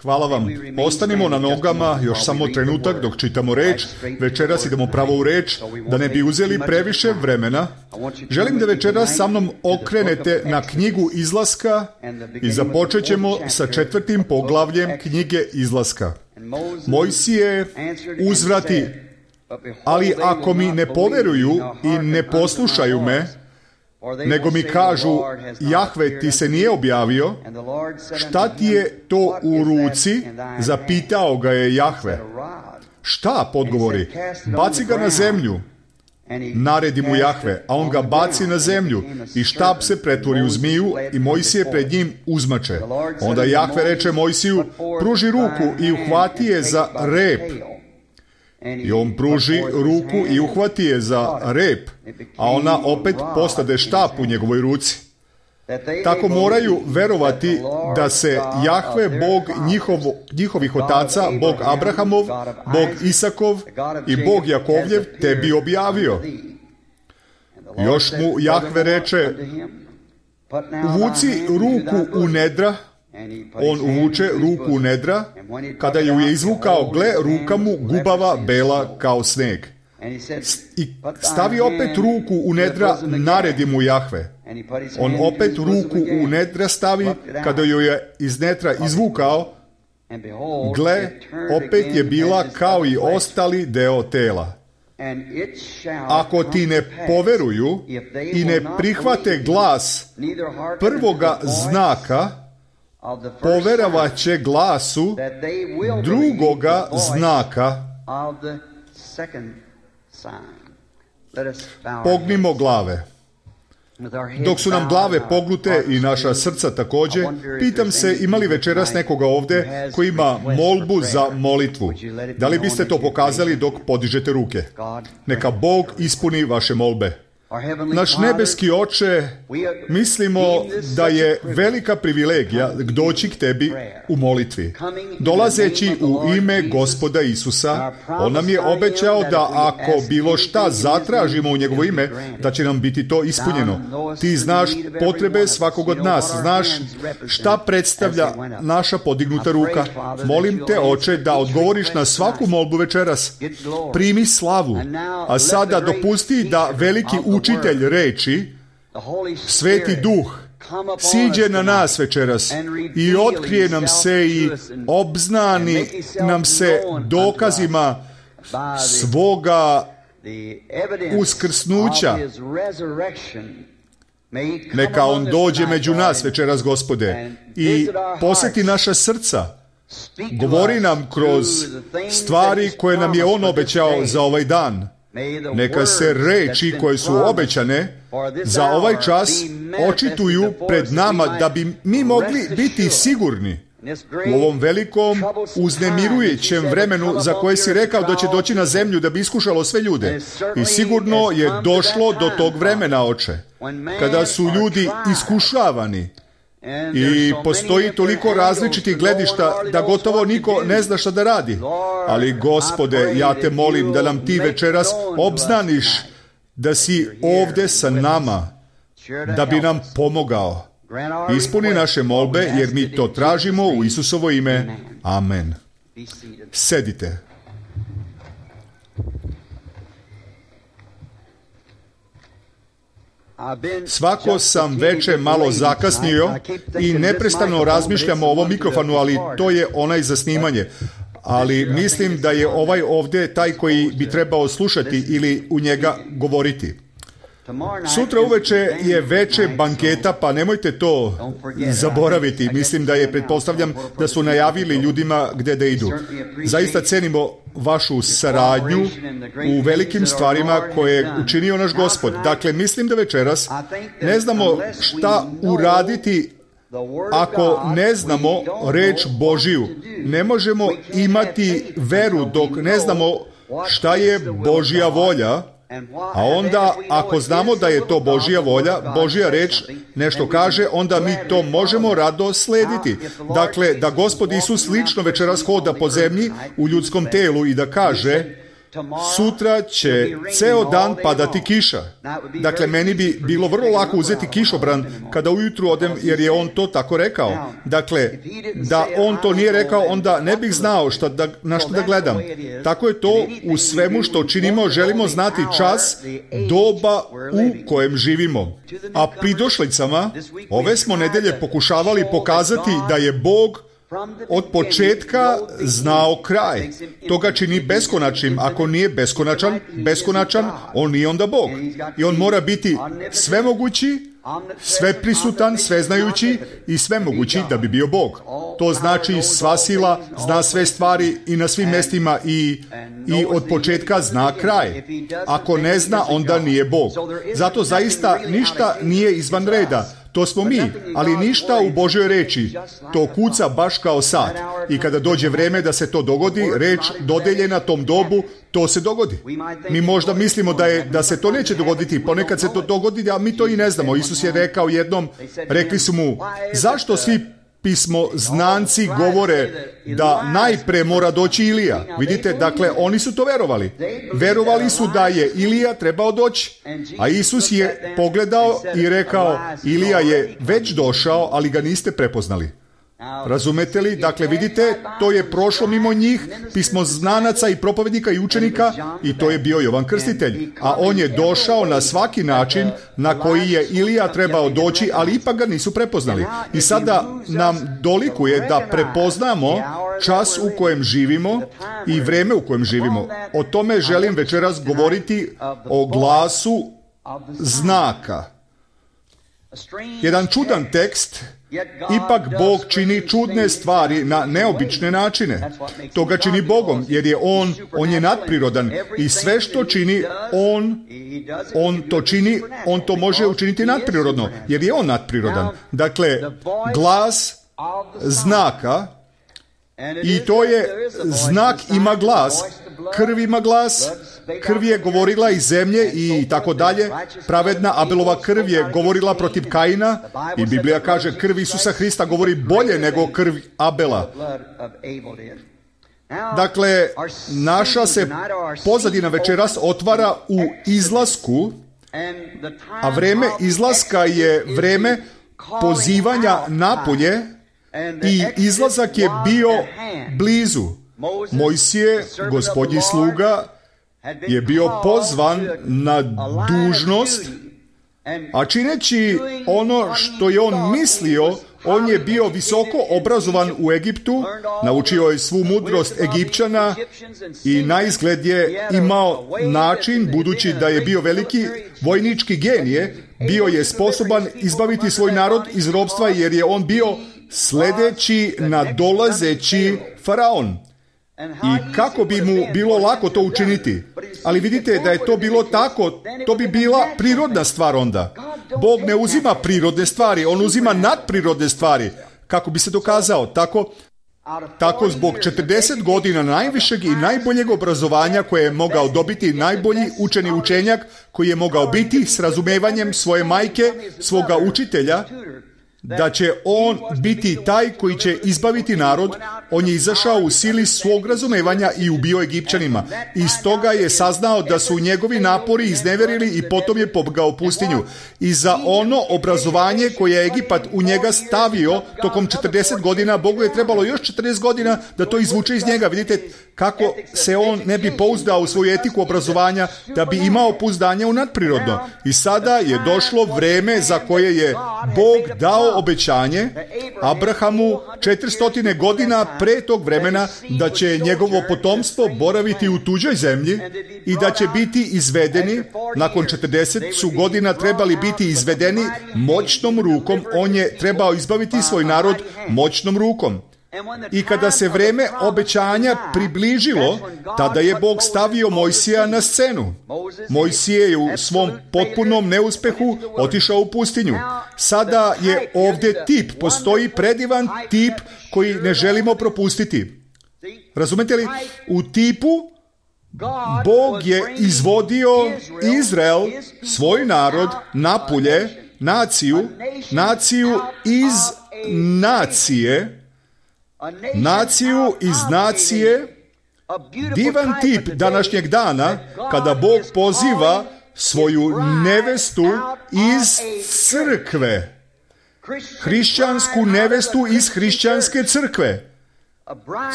Hvala vam. Ostanimo na nogama još samo trenutak dok čitamo reč. Večeras idemo pravo u reč, da ne bi uzeli previše vremena. Želim da večeras sa mnom okrenete na knjigu Izlaska i započet ćemo sa 4. poglavljem knjige Izlaska. Mojsije uzvrati, ali ako mi ne poveruju i ne poslušaju me, nego mi kažu, Jahve ti se nije objavio, šta ti je to u ruci? Zapitao ga je Jahve. Šta, podgovori? Baci ga na zemlju. Naredi mu Jahve, a on ga baci na zemlju i štab se pretvori u zmiju i Mojsije pred njim uzmače. Onda Jahve reče Mojsiju, pruži ruku i uhvati je za rep. I on pruži ruku i uhvati je za rep, a ona opet postade štap u njegovoj ruci. Tako moraju verovati da se Jahve, Bog njihovih otaca, Bog Abrahamov, Bog Isakov i Bog Jakovljev tebi objavio. Još mu Jahve reče, uvuci ruku u nedra. On uvuče ruku u nedra, kada ju je izvukao, gle, ruka mu gubava bela kao sneg. I stavi opet ruku u nedra, naredi mu Jahve. On opet ruku u nedra stavi, kada ju je iz nedra izvukao, gle, opet je bila kao i ostali deo tela. Ako ti ne poveruju i ne prihvate glas prvoga znaka, poverovat će glasu drugoga znaka. Pognimo glave. Dok su nam glave pognute i naša srca također, pitam se, ima li večeras nekoga ovdje koji ima molbu za molitvu? Da li biste to pokazali dok podižete ruke? Neka Bog ispuni vaše molbe. Naš nebeski Oče, mislimo da je velika privilegija doći k tebi u molitvi. Dolazeći u ime Gospoda Isusa, on nam je obećao da ako bilo šta zatražimo u njegovo ime, da će nam biti to ispunjeno. Ti znaš potrebe svakog od nas, znaš šta predstavlja naša podignuta ruka. Molim te, Oče, da odgovoriš na svaku molbu večeras. Primi slavu, a sada dopusti da veliki učitelj reči, Sveti Duh, siđe na nas večeras i otkrije nam se i obznani nam se dokazima svoga uskrsnuća. Neka on dođe među nas večeras, Gospode, i posjeti naša srca. Govori nam kroz stvari koje nam je on obećao za ovaj dan. Neka se reči koje su obećane za ovaj čas očituju pred nama, da bi mi mogli biti sigurni u ovom velikom uznemirujućem vremenu za koje si rekao da će doći na zemlju da bi iskušalo sve ljude. I sigurno je došlo do tog vremena, Oče, kada su ljudi iskušavani i postoji toliko različitih gledišta da gotovo niko ne zna šta da radi. Ali, Gospode, ja te molim da nam ti večeras obznaniš da si ovdje sa nama, da bi nam pomogao. Ispuni naše molbe, jer mi to tražimo u Isusovo ime. Amen. Sedite. Svako sam veče malo zakasnio i neprestano razmišljam o ovom mikrofonu, ali to je onaj za snimanje. Ali mislim da je ovaj ovdje taj koji bi trebao slušati ili u njega govoriti. Sutra uveče je veče banketa, pa nemojte to zaboraviti. Mislim da je, pretpostavljam, da su najavili ljudima gdje da idu. Zaista cenimo vašu saradnju u velikim stvarima koje je učinio naš Gospod. Dakle, mislim da večeras ne znamo šta uraditi ako ne znamo reč Božiju. Ne možemo imati veru dok ne znamo šta je Božja volja. A onda, ako znamo da je to Božja volja, Božja reč nešto kaže, onda mi to možemo rado slediti. Dakle, da Gospod Isus lično večeras hoda po zemlji u ljudskom telu i da kaže, sutra će ceo dan padati kiša. Dakle, meni bi bilo vrlo lako uzeti kišobran kada ujutru odem, jer je on to tako rekao. Dakle, da on to nije rekao, onda ne bih znao na što da gledam. Tako je to u svemu što činimo, želimo znati čas, doba u kojem živimo. A pridošlicama ove smo nedelje pokušavali pokazati da je Bog od početka znao kraj. To ga čini beskonačnim. Ako nije beskonačan, on nije onda Bog. I on mora biti svemogući, sveprisutan, sveznajući i svemogući da bi bio Bog. To znači sva sila, zna sve stvari i na svim mjestima i od početka zna kraj. Ako ne zna, onda nije Bog. Zato zaista ništa nije izvan reda. To smo mi, ali ništa u Božjoj reči. To kuca baš kao sat. I kada dođe vrijeme da se to dogodi, reč dodeljena tom dobu, to se dogodi. Mi možda mislimo da se to neće dogoditi. Ponekad se to dogodi, a mi to i ne znamo. Isus je rekao jednom, rekli su mu, zašto svi pismoznanci govore da najpre mora doći Ilija? Vidite, dakle, oni su to verovali. Verovali su da je Ilija trebao doći. A Isus je pogledao i rekao, Ilija je već došao, ali ga niste prepoznali. Razumete li? Dakle, vidite, to je prošlo mimo njih, pismoznanaca i propovednika i učenika, i to je bio Jovan Krstitelj. A on je došao na svaki način na koji je Ilija trebao doći, ali ipak ga nisu prepoznali. I sada nam dolikuje da prepoznamo čas u kojem živimo i vreme u kojem živimo. O tome želim večeras govoriti, o glasu znaka. Jedan čudan tekst. Ipak Bog čini čudne stvari na neobične načine. To ga čini Bogom, jer je On je nadprirodan i sve što čini, On to čini, On to može učiniti nadprirodno, jer je On nadprirodan. Dakle, glas znaka, i to je znak ima glas, krv ima glas, krv je govorila iz zemlje i tako dalje. Pravedna Abelova krv je govorila protiv Kaina i Biblija kaže krv Isusa Hrista govori bolje nego krv Abela. Dakle, naša se pozadina večeras otvara u izlasku, a vreme izlaska je vreme pozivanja napolje i izlazak je bio blizu. Mojsije, Gospodnji sluga, je bio pozvan na dužnost, a čineći ono što je on mislio, on je bio visoko obrazovan u Egiptu, naučio je svu mudrost Egipćana i naizgled je imao način, budući da je bio veliki vojnički genije, bio je sposoban izbaviti svoj narod iz ropstva, jer je on bio sledeći nadolazeći faraon. I kako bi mu bilo lako to učiniti? Ali vidite da je to bilo tako, to bi bila prirodna stvar onda. Bog ne uzima prirodne stvari, on uzima nadprirodne stvari. Kako bi se dokazao? Tako zbog 40 godina najvišeg i najboljeg obrazovanja koje je mogao dobiti, najbolji učeni učenjak koji je mogao biti s razumevanjem svoje majke, svoga učitelja, da će on biti taj koji će izbaviti narod, on je izašao u sili svog razumevanja i ubio Egipćanima. I stoga je saznao da su njegovi napori izneverili i potom je pobegao u pustinju. I za ono obrazovanje koje je Egipat u njega stavio tokom 40 godina, Bogu je trebalo još 40 godina da to izvuče iz njega. Vidite kako se on ne bi pouzdao u svoju etiku obrazovanja, da bi imao pouzdanje u nadprirodno. I sada je došlo vreme za koje je Bog dao obećanje Abrahamu 400 godina pre tog vremena, da će njegovo potomstvo boraviti u tuđoj zemlji i da će biti izvedeni. Nakon 40 su godina trebali biti izvedeni moćnom rukom. On je trebao izbaviti svoj narod moćnom rukom. I kada se vreme obećanja približilo, tada je Bog stavio Mojsija na scenu. Mojsije je u svom potpunom neuspehu otišao u pustinju. Sada je ovdje tip, postoji predivan tip koji ne želimo propustiti. Razumete li? U tipu Bog je izvodio Izrael, svoj narod, napolje, naciju iz nacije, naciju iz nacije divan tip današnjeg dana kada Bog poziva svoju nevestu iz crkve. Hrišćansku nevestu iz hrišćanske crkve.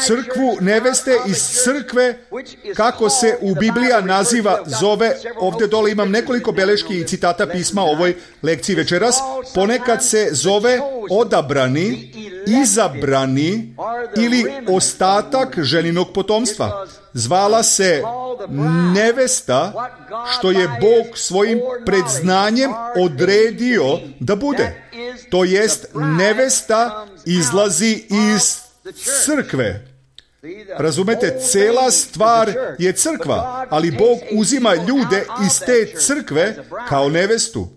Crkvu neveste iz crkve, kako se u Biblija naziva, zove, ovdje dole imam nekoliko beleški i citata pisma o ovoj lekciji večeras, ponekad se zove odabrani, izabrani ili ostatak ženinog potomstva. Zvala se nevesta što je Bog svojim predznanjem odredio da bude. To jest, nevesta izlazi iz crkve. Razumete, cela stvar je crkva, ali Bog uzima ljude iz te crkve kao nevestu.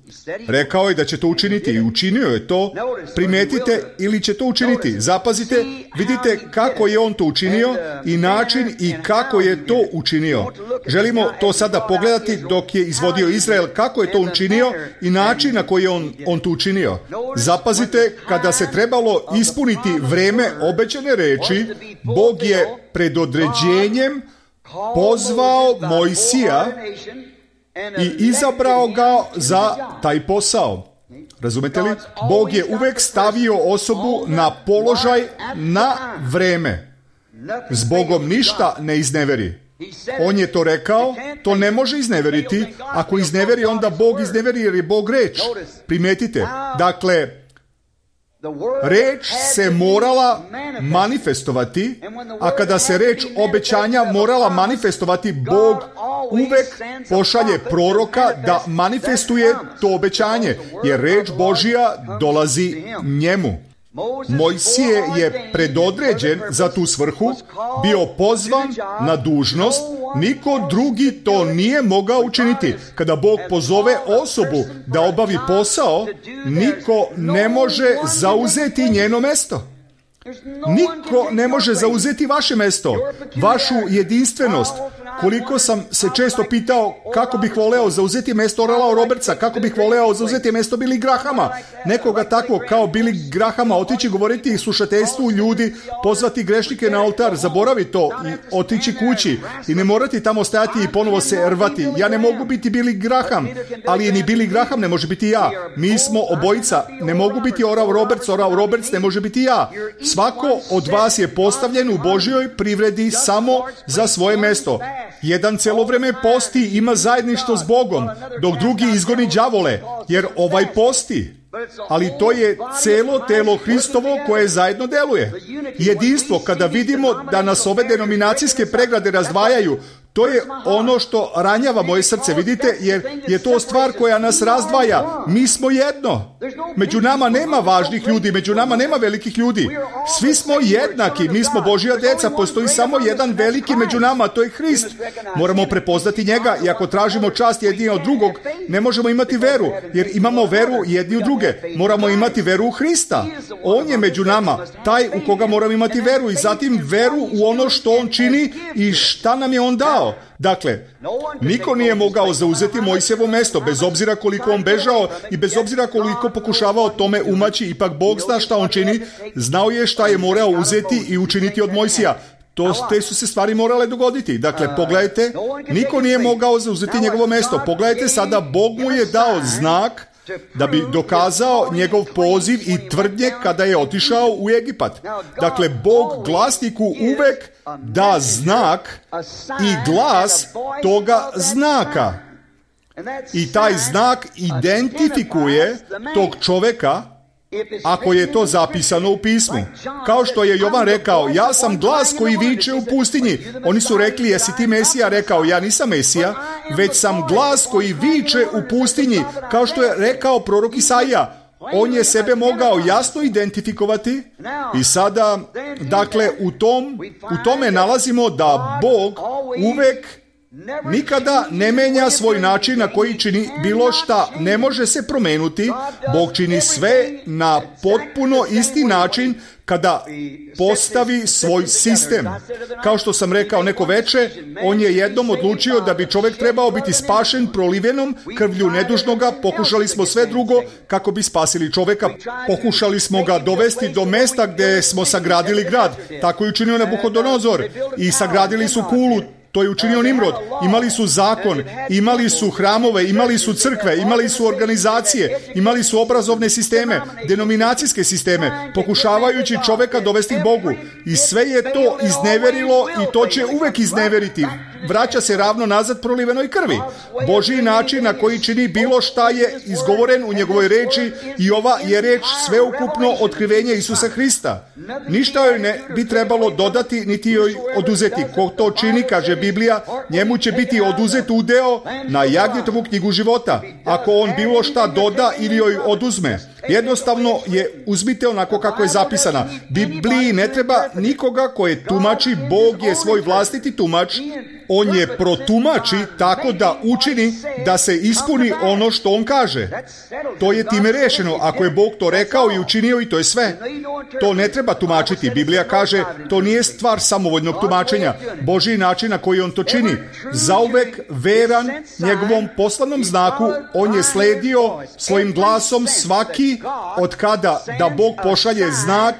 Rekao je da će to učiniti i učinio je to. Primetite ili će to učiniti. Zapazite, vidite kako je on to učinio i način i kako je to učinio. Želimo to sada pogledati dok je izvodio Izrael, kako je to učinio i način na koji je on to učinio. Zapazite, kada se trebalo ispuniti vreme obećane reči, Bog je pred određenjem pozvao Mojsija i izabrao ga za taj posao. Razumete li? Bog je uvek stavio osobu na položaj na vreme. S Bogom ništa ne izneveri. On je to rekao, to ne može izneveriti. Ako izneveri, onda Bog izneveri jer je Bog reč. Primetite, dakle, reč se morala manifestovati, a kada se reč obećanja morala manifestovati, Bog uvek pošalje proroka da manifestuje to obećanje, jer reč Božja dolazi njemu. Mojsije je predodređen za tu svrhu, bio pozvan na dužnost, niko drugi to nije mogao učiniti. Kada Bog pozove osobu da obavi posao, niko ne može zauzeti njeno mesto. Niko ne može zauzeti vaše mesto, vašu jedinstvenost. Koliko sam se često pitao kako bih voleo zauzeti mesto Orala Robertsa, kako bih voleo zauzeti mesto Billy Grahama, nekoga takvog kao Billy Grahama, otići govoriti slušateljstvu ljudi, pozvati grešnike na oltar, zaboravi to i otići kući i ne morati tamo stajati i ponovo se rvati. Ja ne mogu biti Billy Graham, ali ni Billy Graham ne može biti ja. Mi smo obojica, ne mogu biti Oral Roberts ne može biti ja. Svako od vas je postavljen u Božjoj privredi samo za svoje mesto. Jedan celo vreme posti, ima zajedništvo s Bogom, dok drugi izgoni đavole, jer ovaj posti. Ali to je celo telo Hristovo koje zajedno deluje. Jedinstvo, kada vidimo da nas ove denominacijske pregrade razdvajaju, to je ono što ranjava moje srce, vidite, jer je to stvar koja nas razdvaja. Mi smo jedno. Među nama nema važnih ljudi, među nama nema velikih ljudi. Svi smo jednaki, mi smo Božja deca, postoji samo jedan veliki među nama, to je Hrist. Moramo prepoznati njega i ako tražimo čast jedni od drugog, ne možemo imati veru, jer imamo veru jedni u druge. Moramo imati veru u Hrista. On je među nama, taj u koga moramo imati veru i zatim veru u ono što on čini i šta nam je on dao. Dakle, niko nije mogao zauzeti Mojsijevo mesto, bez obzira koliko on bežao i bez obzira koliko pokušavao tome umaći, ipak Bog zna šta on čini, znao je šta je morao uzeti i učiniti od Mojsija. Te su se stvari morale dogoditi. Dakle, pogledajte, niko nije mogao zauzeti njegovo mesto. Pogledajte sada, Bog mu je dao znak da bi dokazao njegov poziv i tvrdnje kada je otišao u Egipat. Dakle, Bog glasniku uvek da znak i glas toga znaka. I taj znak identifikuje tog čoveka ako je to zapisano u pismu. Kao što je Jovan rekao, ja sam glas koji viče u pustinji. Oni su rekli, jesi ti Mesija? Rekao, ja nisam Mesija, već sam glas koji viče u pustinji, kao što je rekao prorok Isaija. On je sebe mogao jasno identifikovati i sada, dakle, u tome nalazimo da Bog uvek nikada ne menja svoj način na koji čini bilo šta. Ne može se promenuti. Bog čini sve na potpuno isti način kada postavi svoj sistem. Kao što sam rekao neko veče, on je jednom odlučio da bi čovjek trebao biti spašen prolivenom krvlju nedužnoga. Pokušali smo sve drugo kako bi spasili čovjeka. Pokušali smo ga dovesti do mesta gdje smo sagradili grad. Tako je učinio Nabuhodonozor. I sagradili su kulu. To je učinio Nimrod. Imali su zakon, imali su hramove, imali su crkve, imali su organizacije, imali su obrazovne sisteme, denominacijske sisteme, pokušavajući čovjeka dovesti k Bogu. I sve je to izneverilo i to će uvek izneveriti. Vraća se ravno nazad prolivenoj krvi. Božji način na koji čini bilo šta je izgovoren u njegovoj reči i ova je reč sveukupno otkrivenje Isusa Hrista. Ništa joj ne bi trebalo dodati niti joj oduzeti. Ko to čini, kaže Biblija, njemu će biti oduzet udeo na Jagnjetovu knjigu života. Ako on bilo šta doda ili joj oduzme. Jednostavno je uzmite onako kako je zapisana. Bibliji ne treba nikoga koje tumači, Bog je svoj vlastiti tumač. On je protumači tako da učini da se ispuni ono što on kaže. To je time rešeno. Ako je Bog to rekao i učinio i to je sve. To ne treba tumačiti. Biblija kaže to nije stvar samovoljnog tumačenja. Božji način na koji on to čini. Zauvek veran njegovom poslanom znaku, on je sledio svojim glasom svaki od kada da Bog pošalje znak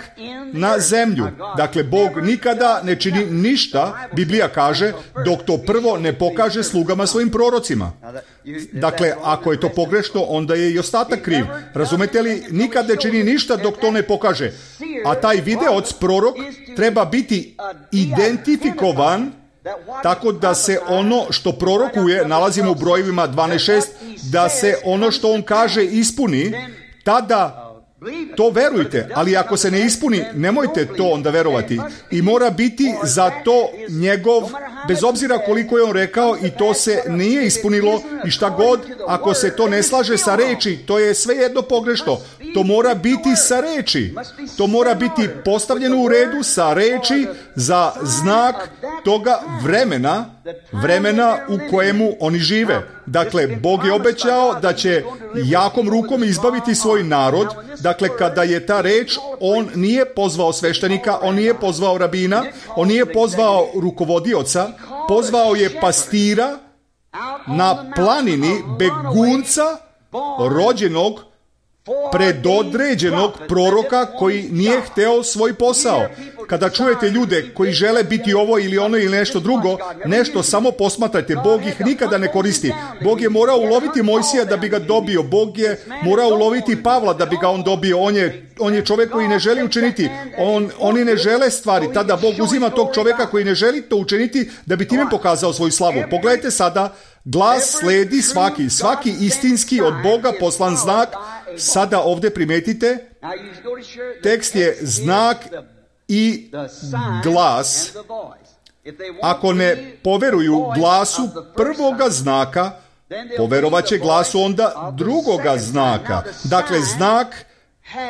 na zemlju. Dakle, Bog nikada ne čini ništa, Biblija kaže, dok to prvo ne pokaže slugama svojim prorocima. Dakle, ako je to pogrešno, onda je i ostatak kriv. Razumete li? Nikad ne čini ništa dok to ne pokaže. A taj videoc, prorok, treba biti identifikovan tako da se ono što prorokuje, nalazimo u brojevima 12.6, da se ono što on kaže ispuni, tada to verujte, ali ako se ne ispuni, nemojte to onda verovati. I mora biti za to njegov, bez obzira koliko je on rekao i to se nije ispunilo i šta god, ako se to ne slaže sa reči, to je svejedno pogrešno. To mora biti sa reči. To mora biti postavljeno u redu sa reči za znak toga vremena u kojemu oni žive. Dakle, Bog je obećao da će jakom rukom izbaviti svoj narod. Dakle, kada je ta reč, on nije pozvao sveštenika, on nije pozvao rabina, on nije pozvao rukovodioca, pozvao je pastira na planini, begunca, rođenog, predodređenog proroka koji nije hteo svoj posao. Kada čujete ljude koji žele biti ovo ili ono ili nešto drugo, nešto samo posmatrajte. Bog ih nikada ne koristi. Bog je morao uloviti Mojsija da bi ga dobio. Bog je morao uloviti Pavla da bi ga on dobio. On je čovjek koji ne želi učiniti. Oni ne žele stvari. Tada Bog uzima tog čovjeka koji ne želi to učiniti da bi time pokazao svoju slavu. Pogledajte sada, glas sledi svaki istinski od Boga poslan znak. Sada ovdje primetite, tekst je znak i glas. Ako ne poveruju glasu prvoga znaka, poverovat će glasu onda drugoga znaka. Dakle, znak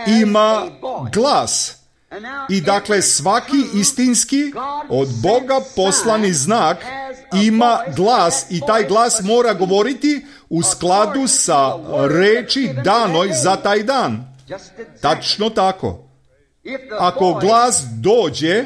ima glas. I dakle, svaki istinski od Boga poslani znak ima glas i taj glas mora govoriti u skladu sa reči danoj za taj dan. Tačno tako. Ako glas dođe,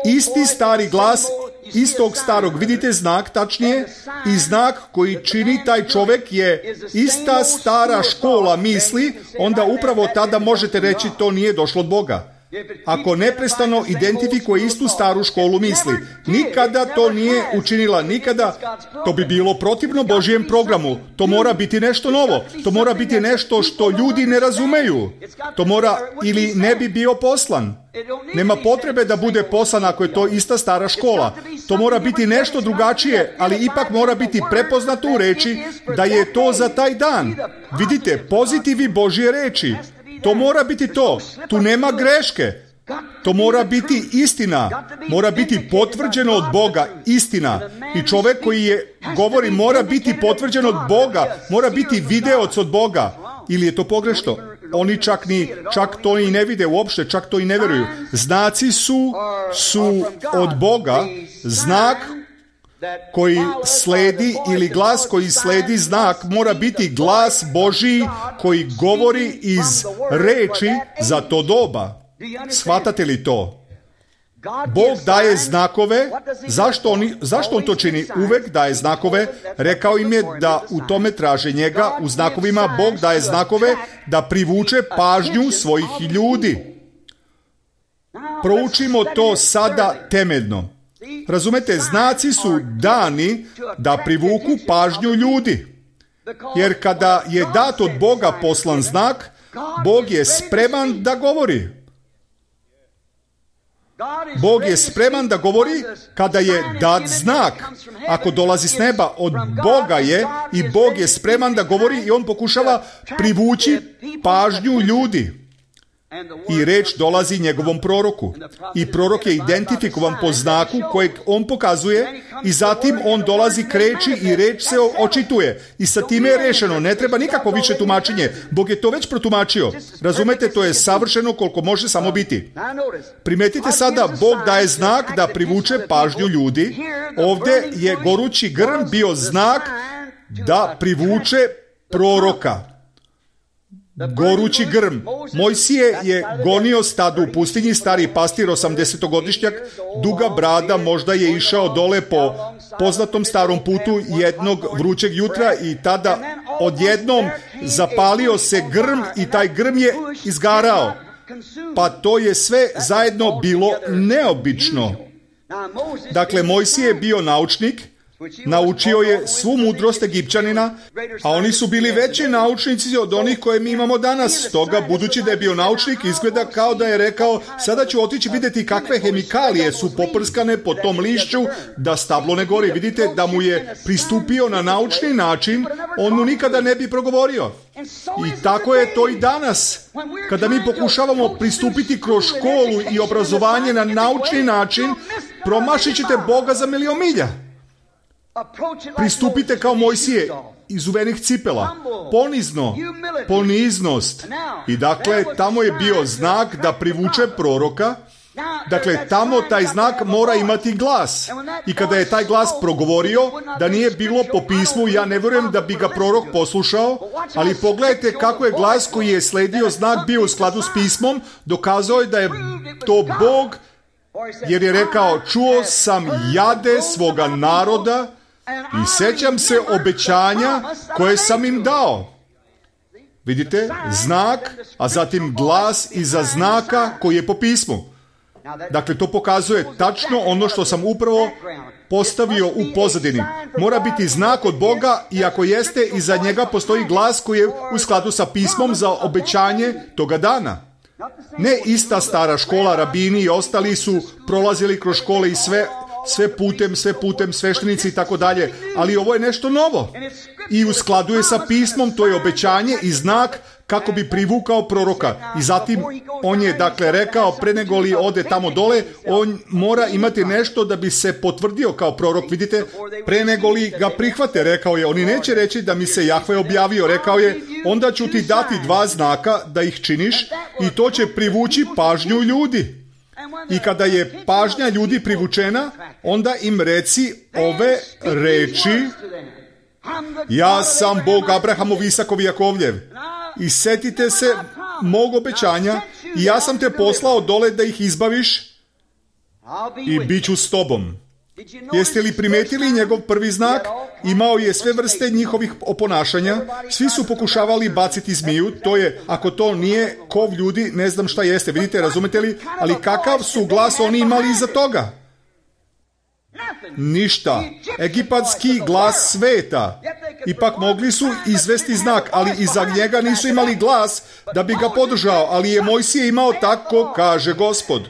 isti stari glas istog starog, vidite znak tačnije, i znak koji čini taj čovjek je ista stara škola misli, onda upravo tada možete reći to nije došlo od Boga. Ako neprestano identifikuje istu staru školu misli, nikada to nije učinila, nikada, to bi bilo protivno Božijem programu. To mora biti nešto novo, to mora biti nešto što ljudi ne razumeju. To mora ili ne bi bio poslan. Nema potrebe da bude poslan ako je to ista stara škola. To mora biti nešto drugačije, ali ipak mora biti prepoznato u reči da je to za taj dan. Vidite, pozitivi Božje reči. To mora biti to. Tu nema greške. To mora biti istina. Mora biti potvrđeno od Boga. Istina. I čovjek koji je govori mora biti potvrđen od Boga. Mora biti videoc od Boga. Ili je to pogrešno? Oni čak to i ne vide uopšte, čak to i ne vjeruju. Znaci su od Boga. Znak koji sledi ili glas koji sledi znak mora biti glas Božji koji govori iz reči za to doba. Shvatate li to? Bog daje znakove. Zašto on to čini? Uvek daje znakove. Rekao im je da u tome traže njega. U znakovima Bog daje znakove da privuče pažnju svojih ljudi. Proučimo to sada temeljno. Razumete, znaci su dani da privuku pažnju ljudi. Jer kada je dat od Boga poslan znak, Bog je spreman da govori. Bog je spreman da govori kada je dat znak. Ako dolazi s neba, od Boga je i Bog je spreman da govori i on pokušava privući pažnju ljudi. I reč dolazi njegovom proroku. I prorok je identifikovan po znaku kojeg on pokazuje i zatim on dolazi k reči i reč se očituje. I sa time je rešeno. Ne treba nikako više tumačenje. Bog je to već protumačio. Razumete, to je savršeno koliko može samo biti. Primetite sada, Bog daje znak da privuče pažnju ljudi. Ovdje je gorući grm bio znak da privuče proroka. Gorući grm. Mojsije je gonio stado u pustinji, stari pastir, 80-godišnjak, duga brada, možda je išao dole po poznatom starom putu jednog vrućeg jutra i tada odjednom zapalio se grm i taj grm je izgarao. Pa to je sve zajedno bilo neobično. Dakle, Mojsije je bio naučnik, naučio je svu mudrost Egipćanina, a oni su bili veći naučnici od onih koje mi imamo danas. Stoga, budući da je bio naučnik, izgleda kao da je rekao, sada ću otići vidjeti kakve hemikalije su poprskane po tom lišću da stablo ne gori. Vidite da mu je pristupio na naučni način, on mu nikada ne bi progovorio. I tako je to i danas. Kada mi pokušavamo pristupiti kroz školu i obrazovanje na naučni način, promašit ćete Boga za milion milja. Pristupite kao Mojsije, izuvenih cipela, ponizno, poniznost. I dakle, tamo je bio znak da privuče proroka. Dakle, tamo taj znak mora imati glas. I kada je taj glas progovorio, da nije bilo po pismu, ja ne vjerujem da bi ga prorok poslušao, ali pogledajte kako je glas koji je sledio znak bio u skladu s pismom, dokazao je da je to Bog, jer je rekao, čuo sam jade svoga naroda i sjećam se obećanja koje sam im dao. Vidite, znak, a zatim glas iza znaka koji je po pismu. Dakle, to pokazuje tačno ono što sam upravo postavio u pozadini. Mora biti znak od Boga i ako jeste, iza njega postoji glas koji je u skladu sa pismom za obećanje toga dana. Ne ista stara škola, rabini i ostali su prolazili kroz škole i sve putem, sveštenici i tako dalje. Ali ovo je nešto novo. I u skladu je sa pismom, to je obećanje i znak kako bi privukao proroka. I zatim on je dakle rekao, pre nego li ode tamo dole, on mora imati nešto da bi se potvrdio kao prorok. Vidite, pre nego li ga prihvate, rekao je, oni neće reći da mi se Jahve objavio, rekao je, onda ću ti dati 2 znaka da ih činiš i to će privući pažnju ljudi. I kada je pažnja ljudi privučena, onda im reci ove reči: ja sam Bog Abrahamov, Isakov i Jakovljev. I setite se mog obećanja i ja sam te poslao dole da ih izbaviš i bit ću s tobom. Jeste li primetili njegov prvi znak? Imao je sve vrste njihovih oponašanja. Svi su pokušavali baciti zmiju. To je, ako to nije kov ljudi, ne znam šta jeste. Vidite, razumete li? Ali kakav su glas oni imali iza toga? Ništa. Egipatski glas sveta. Ipak mogli su izvesti znak, ali iza njega nisu imali glas da bi ga podržao, ali je Mojsije imao tako kaže Gospod.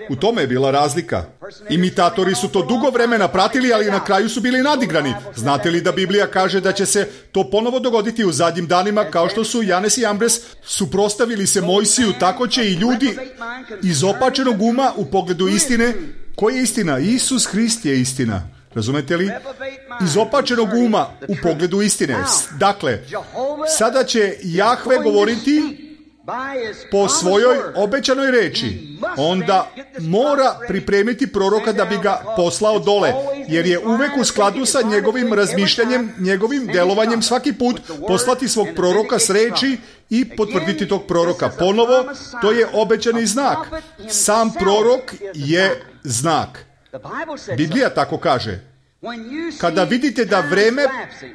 U tome je bila razlika. Imitatori su to dugo vremena pratili, ali na kraju su bili nadigrani. Znate li da Biblija kaže da će se to ponovo dogoditi u zadnjim danima, kao što su Janes i Jambres suprostavili se Mojsiju, tako će i ljudi iz opačenog uma u pogledu istine. Koja je istina? Isus Hrist je istina. Razumete li? Iz opačenog uma u pogledu istine. Dakle, sada će Jahve govoriti po svojoj obećanoj reči. Onda mora pripremiti proroka da bi ga poslao dole. jer je uvek u skladu sa njegovim razmišljanjem, njegovim delovanjem svaki put poslati svog proroka s reči i potvrditi tog proroka. Ponovo, to je obećani znak. Sam prorok je znak. Biblija tako kaže. Kada vidite da vreme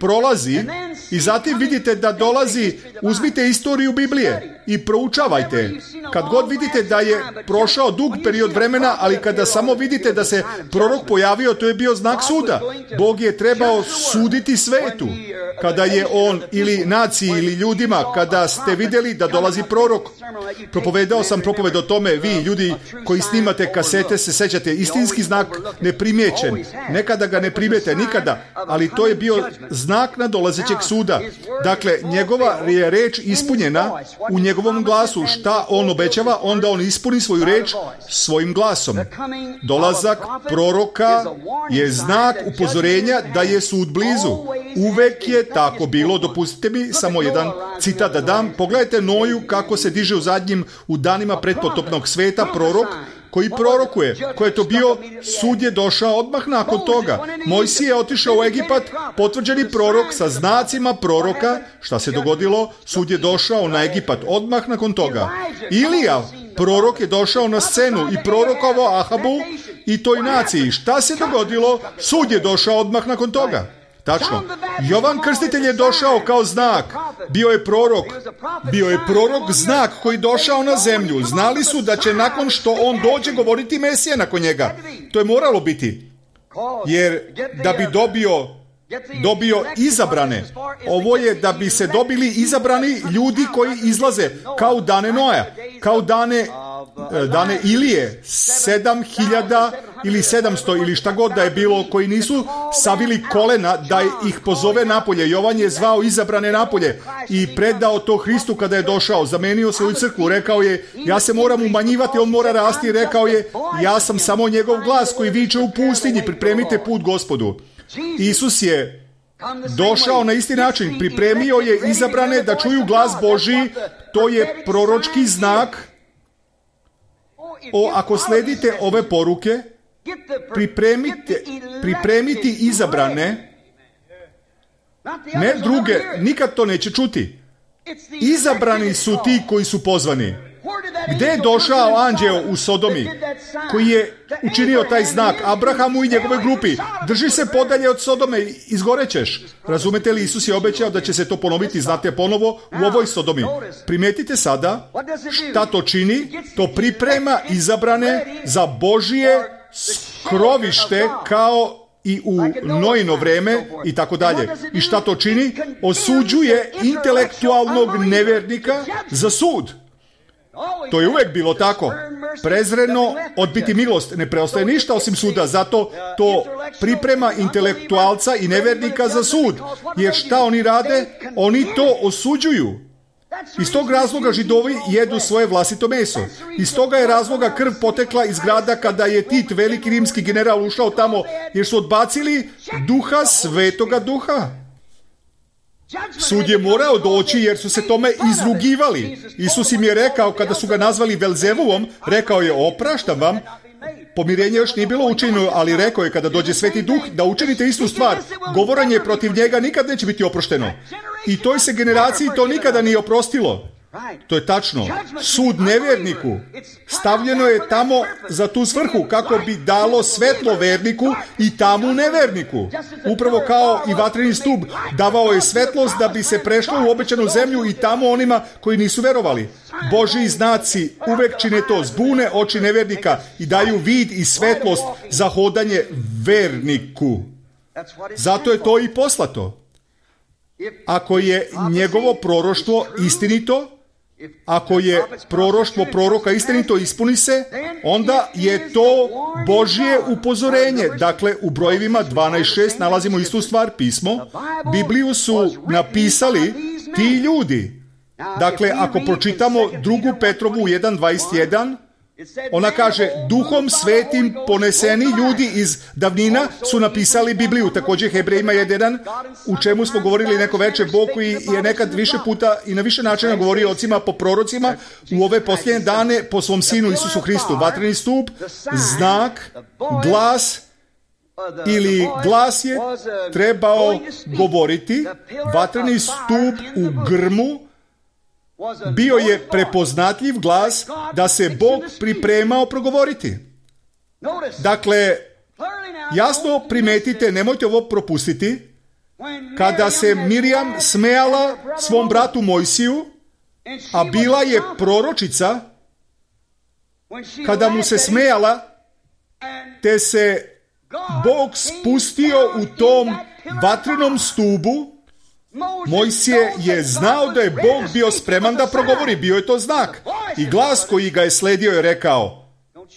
prolazi i zatim vidite da dolazi, uzmite istoriju Biblije i proučavajte. Kad god vidite da je prošao dug period vremena, ali kada samo vidite da se prorok pojavio, to je bio znak suda. Bog je trebao suditi svetu. Kada je on ili naciji ili ljudima, kada ste vidjeli da dolazi prorok. Propovedao sam propoved o tome, vi ljudi koji snimate kasete se sećate, istinski znak neprimjećen. Nekada ga ne primijete, nikada, ali to je bio znak nadolazećeg suda. Dakle, njegova je reč ispunjena u njegovom glasu. Šta on obećava, onda on ispuni svoju reč svojim glasom. Dolazak proroka je znak upozorenja da je sud blizu. Uvek je tako bilo. Dopustite mi samo jedan citat da dam. Pogledajte Noju kako se diže u danima pretpotopnog sveta prorok koji prorokuje. Ko je to bio? Sud je došao odmah nakon toga. Mojsije je otišao u Egipat, potvrđeni prorok sa znacima proroka. Šta se dogodilo? Sud je došao na Egipat odmah nakon toga. Ilija, prorok, je došao na scenu i prorokovao Ahabu i toj naciji. Šta se dogodilo? Sud je došao odmah nakon toga. Tačno. Jovan Krstitelj je došao kao znak. Bio je prorok znak koji došao na zemlju. Znali su da će nakon što on dođe govoriti Mesija nakon njega. To je moralo biti. Jer da bi dobio izabrane. Ovo je da bi se dobili izabrani ljudi koji izlaze kao dane Noja, kao dane Ilije, 7.000 ili 700 ili šta god da je bilo, koji nisu savili kolena da ih pozove napolje. Jovan je zvao izabrane napolje i predao to Hristu kada je došao. Zamenio svoju crkvu, rekao je, ja se moram umanjivati, on mora rasti. Rekao je, ja sam samo njegov glas koji viče u pustinji, pripremite put Gospodu. Isus je došao na isti način, pripremio je izabrane da čuju glas Božji. To je proročki znak. Ako sledite ove poruke, pripremiti izabrane, ne druge, nikad to neće čuti. Izabrani su ti koji su pozvani. Gde je došao anđeo u Sodomi koji je učinio taj znak Abrahamu i njegovoj grupi? Drži se podalje od Sodome, izgorećeš. Razumete li, Isus je obećao da će se to ponoviti, znate, ponovo u ovoj Sodomi. Primetite sada šta to čini. To priprema izabrane za Božije skrovište kao i u Nojino vreme i tako dalje. I šta to čini? Osuđuje intelektualnog nevernika za sud. To je uvek bilo tako. Prezreno odbiti milost. Ne preostaje ništa osim suda. Zato to priprema intelektualca i nevernika za sud. Jer šta oni rade? Oni to osuđuju. Iz tog razloga Židovi jedu svoje vlastito meso. Iz toga je razloga krv potekla iz grada kada je Tit, veliki rimski general, ušao tamo, jer su odbacili duha, svetoga duha. Sud je morao doći jer su se tome izrugivali. Isus im je rekao, kada su ga nazvali Velzevuvom, rekao je, opraštam vam. Pomirenje još nije bilo učinjeno, ali rekao je, kada dođe Sveti Duh, da učinite istu stvar. Govorenje protiv njega nikad neće biti oprošteno. I toj se generaciji to nikada nije oprostilo. To je tačno. Sud nevjerniku stavljeno je tamo za tu svrhu, kako bi dalo svetlo verniku i tamu neverniku. Upravo kao i vatreni stup davao je svetlost da bi se prešlo u obećanu zemlju i tamo onima koji nisu verovali. Božji znaci uvek čine to, zbune oči nevernika i daju vid i svetlost za hodanje verniku. Zato je to i poslato. Ako je njegovo proroštvo istinito, ako je proroštvo proroka istinito, ispuni se, onda je to Božje upozorenje. Dakle, u brojevima 12.6 nalazimo istu stvar, pismo. Bibliju su napisali ti ljudi. Dakle, ako pročitamo 2. Petrovu 1.21, ona kaže, duhom svetim poneseni ljudi iz davnina su napisali Bibliju. Također Hebrejima 1, u čemu smo govorili neko veče, Bog koji je nekad više puta i na više načina govorio ocima po prorocima, u ove posljednje dane po svom sinu Isusu Hristu. Vatreni stup, znak, glas ili glas je trebao govoriti, vatreni stup u grmu bio je prepoznatljiv glas da se Bog pripremao progovoriti. Dakle, jasno primetite, nemojte ovo propustiti, kada se Mirjam smejala svom bratu Mojsiju, a bila je proročica, kada mu se smejala, te se Bog spustio u tom vatrenom stubu, Mojsije je znao da je Bog bio spreman da progovori, bio je to znak. I glas koji ga je sledio je rekao,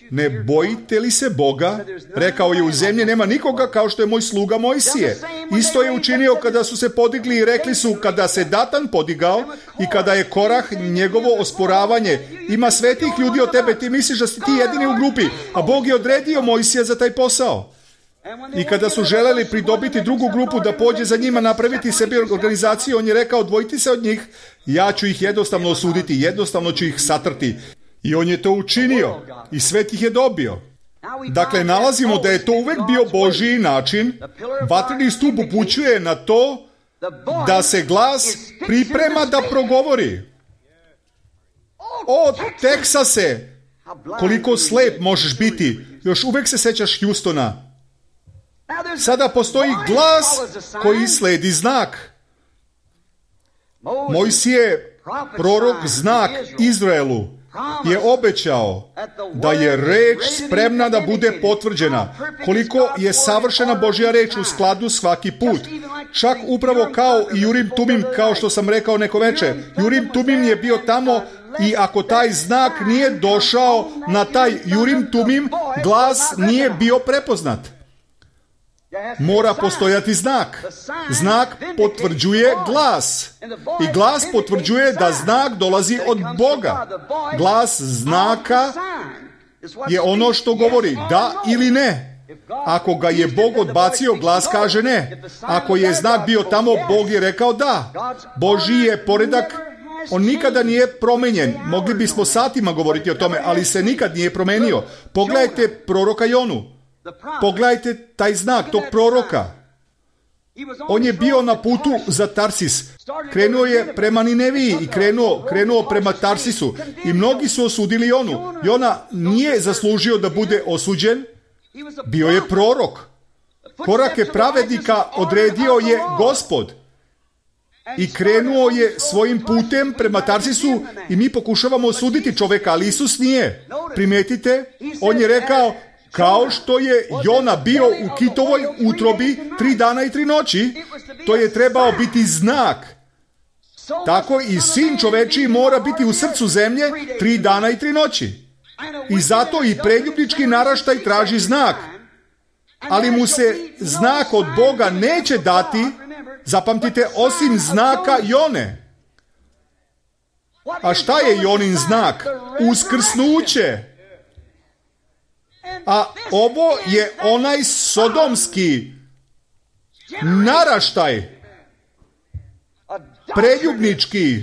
ne bojite li se Boga? Rekao je, u zemlji nema nikoga kao što je moj sluga Mojsije. Isto je učinio kada su se podigli i rekli su, kada se Datan podigao i kada je Korah njegovo osporavanje, ima svetih ljudi od tebe, ti misliš da si ti jedini u grupi, a Bog je odredio Mojsija za taj posao. I kada su želeli pridobiti drugu grupu da pođe za njima, napraviti sebi organizaciju, on je rekao, odvojiti se od njih, ja ću ih jednostavno osuditi, jednostavno ću ih satrti. I on je to učinio i svet ih je dobio. Dakle, nalazimo da je to uvek bio Božji način. Vatreni stup upućuje na to da se glas priprema da progovori. O, Teksase, koliko slep možeš biti. Još uvek se sećaš Houstona. Sada postoji glas koji sledi znak. Mojsije, prorok, znak Izraelu, je obećao da je reč spremna da bude potvrđena. Koliko je savršena Božja reč u skladu svaki put. Čak upravo kao i Urim Tumim, kao što sam rekao neko veče. Urim Tumim je bio tamo i ako taj znak nije došao na taj Urim Tumim, glas nije bio prepoznat. Mora postojati znak. Znak potvrđuje glas. I glas potvrđuje da znak dolazi od Boga. Glas znaka je ono što govori da ili ne. Ako ga je Bog odbacio, glas kaže ne. Ako je znak bio tamo, Bog je rekao da. Božji je poredak, on nikada nije promenjen. Mogli bismo satima govoriti o tome, ali se nikad nije promenio. Pogledajte proroka Jonu. Pogledajte taj znak, tog proroka. On je bio na putu za Tarsis. Krenuo je prema Nineviji i krenuo prema Tarsisu. I mnogi su osudili Jonu. Jona nije zaslužio da bude osuđen. Bio je prorok. Korake pravednika odredio je Gospod. I krenuo je svojim putem prema Tarsisu i mi pokušavamo osuditi čoveka, ali Isus nije. Primetite, on je rekao, kao što je Jona bio u kitovoj utrobi 3 dana i 3 noći, to je trebao biti znak. Tako i sin čovečiji mora biti u srcu zemlje 3 dana i 3 noći. I zato i preljubnički naraštaj traži znak. Ali mu se znak od Boga neće dati, zapamtite, osim znaka Jone. A šta je Jonin znak? Uskrsnuće. A ovo je onaj sodomski naraštaj, preljubnički,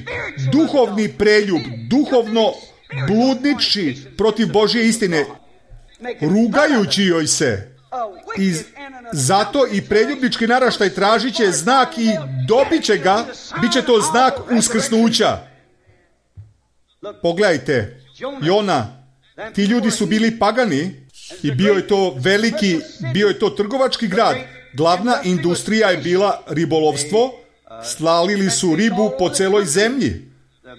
duhovni preljub, duhovno bludnički protiv Božje istine, rugajući joj se. I zato i preljubnički naraštaj tražit će znak i dobit će ga, bit će to znak uskrsnuća. Pogledajte, Jona, ti ljudi su bili pagani i bio je to trgovački grad. Glavna industrija je bila ribolovstvo, slalili su ribu po celoj zemlji.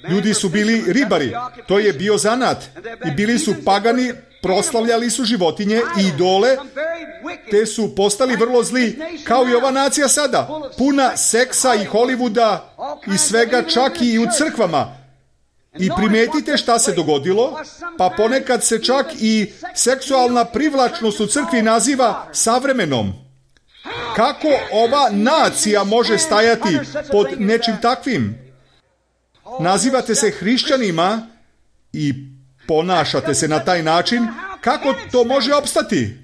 Ljudi su bili ribari, to je bio zanat. I bili su pagani, proslavljali su životinje i idole, te su postali vrlo zli, kao i ova nacija sada, puna seksa i Hollywooda i svega, čak i u crkvama. I primetite šta se dogodilo, pa ponekad se čak i seksualna privlačnost u crkvi naziva savremenom. Kako ova nacija može stajati pod nečim takvim? Nazivate se hrišćanima i ponašate se na taj način, kako to može opstati?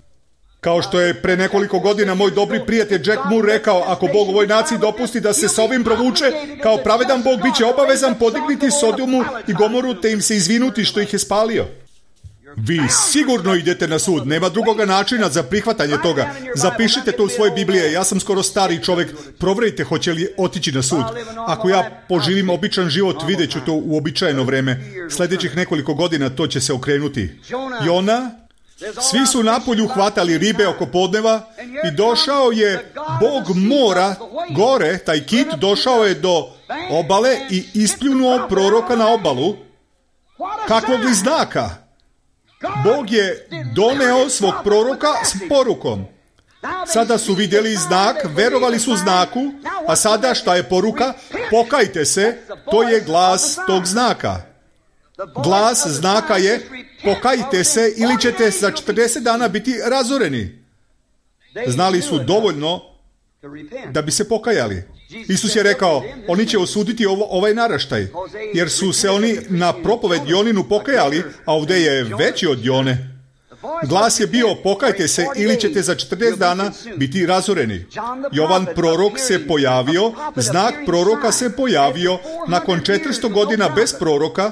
Kao što je pre nekoliko godina moj dobri prijatelj Jack Moore rekao, ako Bog ovoj naciji dopusti da se s ovim provuče, kao pravedan Bog bit će obavezan podigniti Sodomu i Gomoru te im se izvinuti što ih je spalio. Vi sigurno idete na sud. Nema drugoga načina za prihvatanje toga. Zapišite to u svoje Biblije. Ja sam skoro stari čovjek. Provjerite hoće li otići na sud. Ako ja poživim običan život, vidjet ću to u uobičajeno vreme. Sljedećih nekoliko godina to će se okrenuti. Jona, svi su napolju hvatali ribe oko podneva i došao je Bog mora gore, taj kit došao je do obale i ispljunuo proroka na obalu. Kakvog li znaka? Bog je doneo svog proroka s porukom. Sada su vidjeli znak, verovali su znaku, a sada šta je poruka? Pokajte se, to je glas tog znaka. Glas znaka je pokajte se ili ćete za 40 dana biti razoreni. Znali su dovoljno da bi se pokajali. Isus je rekao, oni će osuditi ovaj naraštaj, jer su se oni na propoved Joninu pokajali, a ovdje je veći od Jone. Glas je bio, pokajte se ili ćete za 40 dana biti razoreni. Jovan prorok se pojavio, znak proroka se pojavio, nakon 400 godina bez proroka.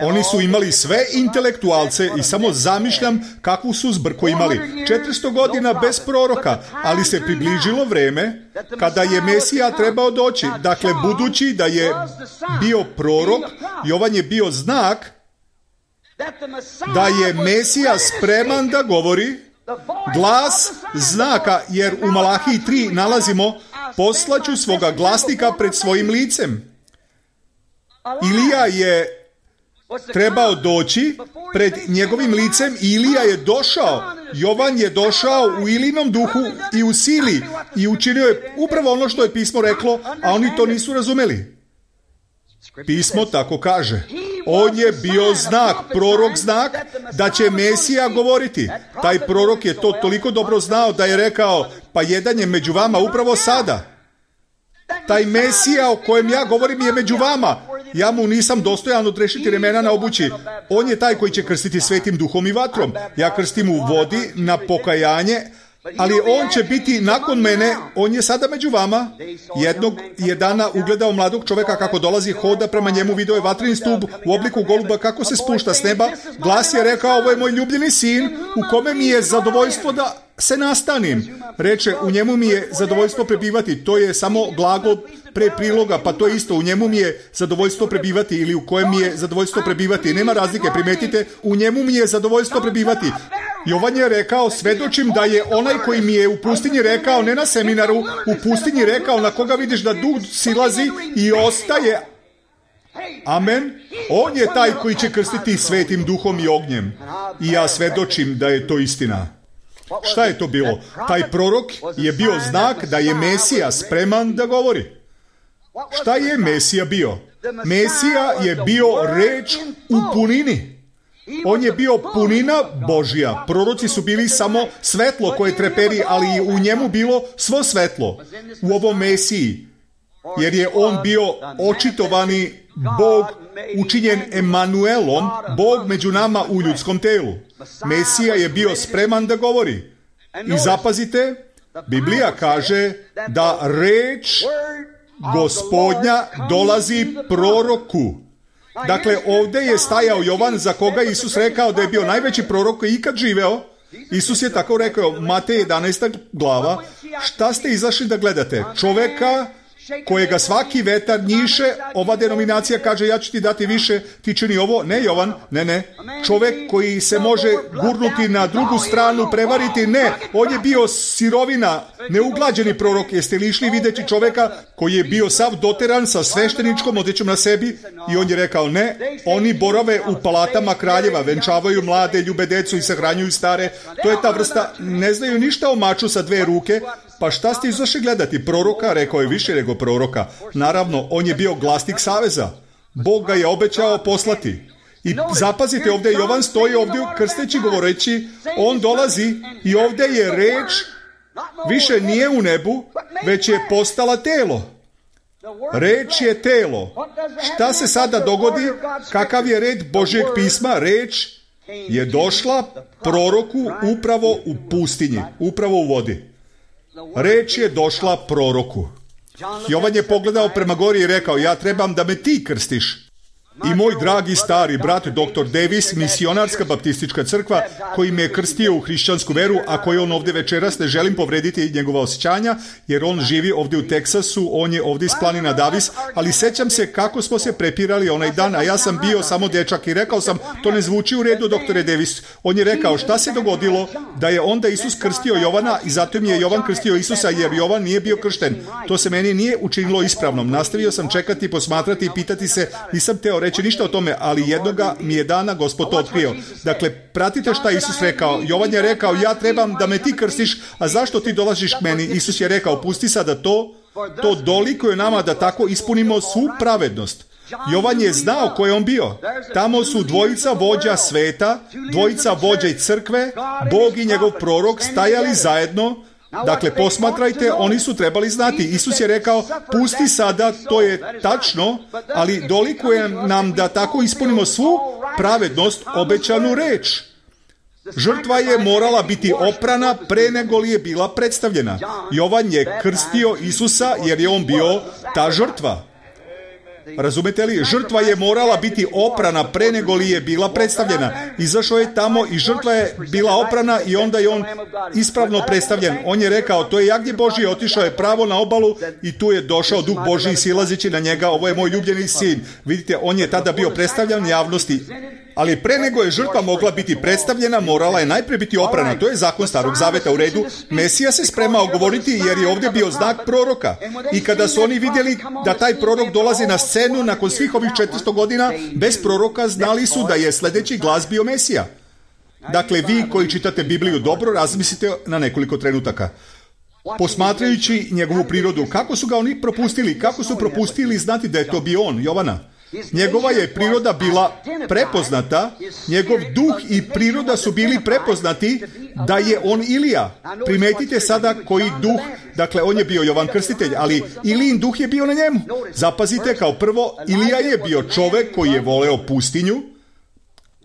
Oni su imali sve intelektualce i samo zamišljam kakvu su zbrku imali. 400 godina bez proroka, ali se približilo vreme kada je Mesija trebao doći. Dakle, budući da je bio prorok, Jovan je bio znak da je Mesija spreman da govori, glas znaka, jer u Malahiji 3 nalazimo poslaću svoga glasnika pred svojim licem. Ilija je trebao doći pred njegovim licem i Ilija je došao. Jovan je došao u Ilinom duhu i u sili i učinio je upravo ono što je pismo reklo, a oni to nisu razumeli. Pismo tako kaže. On je bio znak, prorok znak, da će Mesija govoriti. Taj prorok je to toliko dobro znao da je rekao, pa jedan je među vama upravo sada. Taj Mesija o kojem ja govorim je među vama. Ja mu nisam dostojan odrešiti remena na obući. On je taj koji će krstiti svetim duhom i vatrom. Ja krstim u vodi na pokajanje, ali on će biti nakon mene, on je sada među vama. Jednog je dana ugledao mladog čovjeka kako dolazi, hoda prema njemu, video je vatreni stup u obliku goluba kako se spušta s neba. Glas je rekao, ovo je moj ljubljeni sin u kome mi je zadovoljstvo da se nastanim. Reče, u njemu mi je zadovoljstvo prebivati. To je samo glagol pre priloga, pa to je isto. U njemu mi je zadovoljstvo prebivati ili u kojem mi je zadovoljstvo prebivati. Nema razlike, primetite, u njemu mi je zadovoljstvo prebivati. Jovan je rekao, svedočim da je onaj koji mi je u pustinji rekao, ne na seminaru, u pustinji rekao na koga vidiš da duh silazi i ostaje. Amen. On je taj koji će krstiti svetim duhom i ognjem. I ja svedočim da je to istina. Šta je to bilo? Taj prorok je bio znak da je Mesija spreman da govori. Šta je Mesija bio? Mesija je bio reč u punini. On je bio punina Božja. Proroci su bili samo svetlo koje treperi, ali je u njemu bilo svo svetlo. U ovom Mesiji. Jer je on bio očitovani Bog učinjen Emanuelom, Bog među nama u ljudskom telu. Mesija je bio spreman da govori. I zapazite, Biblija kaže da reč Gospodnja dolazi proroku. Dakle, ovdje je stajao Jovan za koga Isus rekao da je bio najveći prorok koji ikad živeo. Isus je tako rekao, Matej 11. glava, šta ste izašli da gledate? Čoveka kojega svaki vetar njiše, ova denominacija kaže ja ću ti dati više, ti čini ovo, ne Jovan, ne. Čovjek koji se može gurnuti na drugu stranu, prevariti, ne, on je bio sirovina, neuglađeni prorok. Jeste li išli vidjeti čovjeka koji je bio sav doteran sa svešteničkom odjećom na sebi i on je rekao ne, oni borave u palatama kraljeva, venčavaju mlade, ljube decu i sahranjuju stare, to je ta vrsta, ne znaju ništa o maču sa 2 ruke. Pa šta ste izašli gledati? Proroka? Rekao je više nego proroka. Naravno, on je bio glasnik saveza. Bog ga je obećao poslati. I zapazite, ovdje Jovan stoji ovdje krsteći govoreći, on dolazi i ovdje je reč, više nije u nebu, već je postala telo. Reč je telo. Šta se sada dogodi? Kakav je red Božjeg pisma? Reč je došla proroku upravo u pustinji, upravo u vodi. Reč je došla proroku. Jovan je pogledao prema gori i rekao, ja trebam da me ti krstiš. I moj dragi stari brat dr. Davis, misionarska baptistička crkva, koji me je krstio u hrišćansku veru, a koji on ovdje večeras, ne želim povrediti njegova osjećanja, jer on živi ovdje u Teksasu, on je ovdje iz planina Davis, ali sećam se kako smo se prepirali onaj dan, a ja sam bio samo dečak i rekao sam, to ne zvuči u redu, doktore Davis. On je rekao, šta se dogodilo da je onda Isus krstio Jovana i zato mi je Jovan krstio Isusa, jer Jovan nije bio kršten. To se meni nije učinilo ispravnom. Nastavio sam čekati, posmatrati i pitati se, nisam teo reći ništa o tome, ali jednoga mi je dana Gospod to otkrio. Dakle, pratite šta Isus rekao. Jovan je rekao, ja trebam da me ti krstiš, a zašto ti dolaziš k meni? Isus je rekao, pusti sada to dolikuje nama da tako ispunimo svu pravednost. Jovan je znao ko je on bio. Tamo su dvojica vođa sveta, dvojica vođa i crkve, Bog i njegov prorok stajali zajedno. Dakle, posmatrajte, oni su trebali znati. Isus je rekao, pusti sada, to je tačno, ali dolikuje nam da tako ispunimo svu pravednost, obećanu reč. Žrtva je morala biti oprana pre nego li je bila predstavljena. Jovan je krstio Isusa jer je on bio ta žrtva. Razumete li? Žrtva je morala biti oprana pre nego li je bila predstavljena. Izašao je tamo i žrtva je bila oprana i onda je on ispravno predstavljen. On je rekao, to je jagnje Božje, otišao je pravo na obalu i tu je došao Duh Božji silazeći na njega, ovo je moj ljubljeni sin. Vidite, on je tada bio predstavljen javnosti. Ali pre nego je žrtva mogla biti predstavljena, morala je najprije biti oprana. To je zakon Starog Zaveta, u redu. Mesija se spremao govoriti jer je ovdje bio znak proroka. I kada su oni vidjeli da taj prorok dolazi na scenu nakon svih ovih 400 godina, bez proroka znali su da je sljedeći glas bio Mesija. Dakle, vi koji čitate Bibliju dobro, razmislite na nekoliko trenutaka. Posmatrajući njegovu prirodu, kako su ga oni propustili? Kako su propustili znati da je to bio on, Jovana? Njegova je priroda bila prepoznata, njegov duh i priroda su bili prepoznati da je on Ilija. Primetite sada koji duh, dakle on je bio Jovan Krstitelj, ali Ilijin duh je bio na njemu. Zapazite, kao prvo, Ilija je bio čovek koji je voleo pustinju,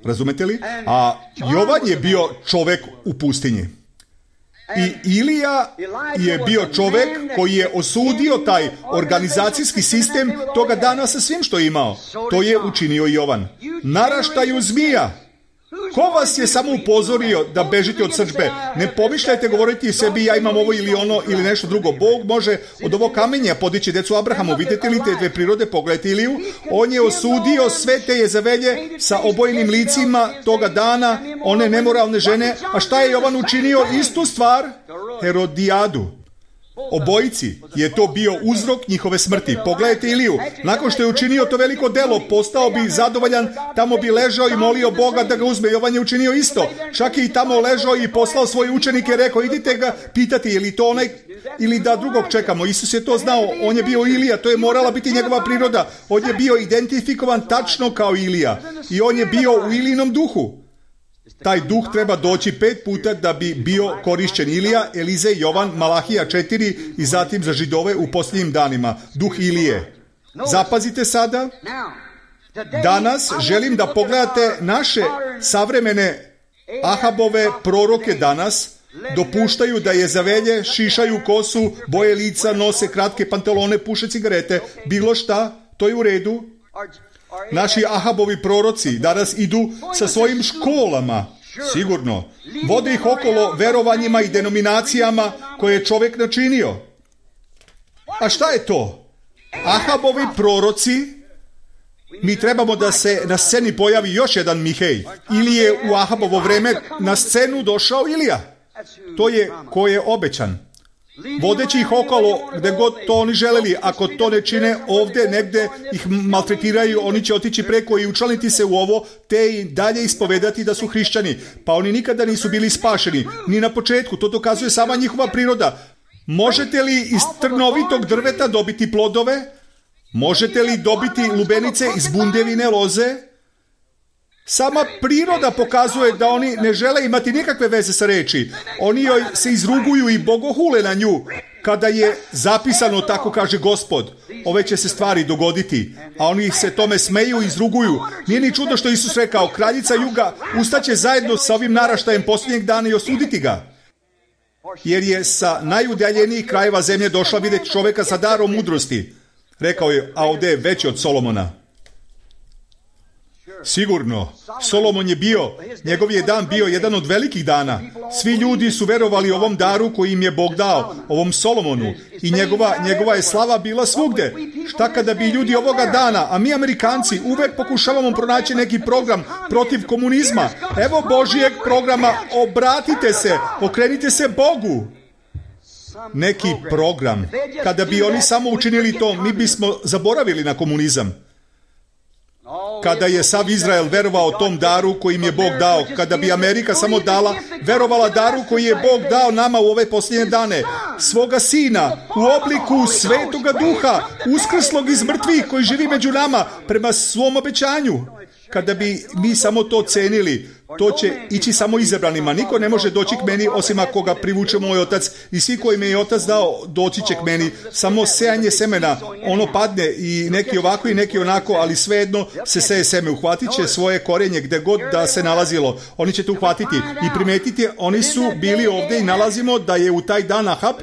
razumete li? A Jovan je bio čovek u pustinji. I Ilija je bio čovek koji je osudio taj organizacijski sistem toga dana sa svim što je imao. To je učinio i Jovan. Naraštaju zmija. Ko vas je samo upozorio da bežite od srdžbe? Ne pomišljajte govoriti sebi ja imam ovo ili ono ili nešto drugo. Bog može od ovog kamenja podići decu Abrahamu. Vidite li te dve prirode? Pogledajte Iliju. On je osudio sve te Jezavelje sa obojenim licima toga dana, one nemoralne žene. A šta je Jovan učinio? Istu stvar, Herodijadu. Obojici je to bio uzrok njihove smrti. Pogledajte Iliju. Nakon što je učinio to veliko delo, postao bi zadovoljan, tamo bi ležao i molio Boga da ga uzme. Jovan je učinio isto. Čak je i tamo ležao i poslao svoje učenike, rekao, idite ga pitati je li to onaj ili da drugog čekamo. Isus je to znao, on je bio Ilija, to je morala biti njegova priroda. On je bio identifikovan tačno kao Ilija i on je bio u Ilijinom duhu. Taj duh treba doći 5 puta da bi bio korišćen. Ilija, Elizej, Jovan, Malahija 4 i zatim za Židove u posljednjim danima. Duh Ilije. Zapazite sada. Danas želim da pogledate naše savremene Ahabove proroke danas. Dopuštaju da Jezavelje šišaju kosu, boje lica, nose kratke pantalone, puše cigarete. Bilo šta, to je u redu. Naši Ahabovi proroci danas idu sa svojim školama, sigurno. Vode ih okolo verovanjima i denominacijama koje je čovjek načinio. A šta je to? Ahabovi proroci, mi trebamo da se na sceni pojavi još jedan Mihej. Ili je u Ahabovo vreme na scenu došao Ilija. To je ko je obećan. Vodeći ih okolo gde god to oni želeli. Ako to ne čine ovdje, negde ih maltretiraju, oni će otići preko i učlaniti se u ovo, te i dalje ispovedati da su hrišćani. Pa oni nikada nisu bili spašeni. Ni na početku, to dokazuje sama njihova priroda. Možete li iz trnovitog drveta dobiti plodove? Možete li dobiti lubenice iz bundevine loze? Sama priroda pokazuje da oni ne žele imati nikakve veze sa reči. Oni joj se izruguju i bogohule na nju. Kada je zapisano, tako kaže Gospod, ove će se stvari dogoditi, a oni se tome smeju i izruguju. Nije ni čudo što Isus rekao, kraljica juga ustaće zajedno sa ovim naraštajem posljednjeg dana i osuditi ga. Jer je sa najudaljenijih krajeva zemlje došla vidjeti čovjeka sa darom mudrosti. Rekao je, a ovdje je veći od Solomona. Sigurno. Solomon je bio, njegov je dan bio jedan od velikih dana. Svi ljudi su verovali ovom daru koji im je Bog dao, ovom Solomonu. I njegova je slava bila svugde. Šta kada bi ljudi ovoga dana, a mi Amerikanci uvek pokušavamo pronaći neki program protiv komunizma. Evo Božijeg programa, obratite se, okrenite se Bogu. Neki program. Kada bi oni samo učinili to, mi bismo zaboravili na komunizam. Kada je sav Izrael verovao tom daru koji im je Bog dao, kada bi Amerika samo verovala daru koji je Bog dao nama u ove posljednje dane, svoga Sina u obliku Svetoga Duha, uskrslog iz mrtvih koji živi među nama prema svom obećanju. Kada bi mi samo to cenili, to će ići samo izabranima. Niko ne može doći k meni osim ako ga privuče moj otac. I svi koji me je otac dao, doći će k meni. Samo sejanje semena, ono padne i neki ovako i neki onako, ali svejedno se seje seme. Uhvatit će svoje korenje gde god da se nalazilo. Oni će to uhvatiti i primetiti. Oni su bili ovdje i nalazimo da je u taj dan Ahab,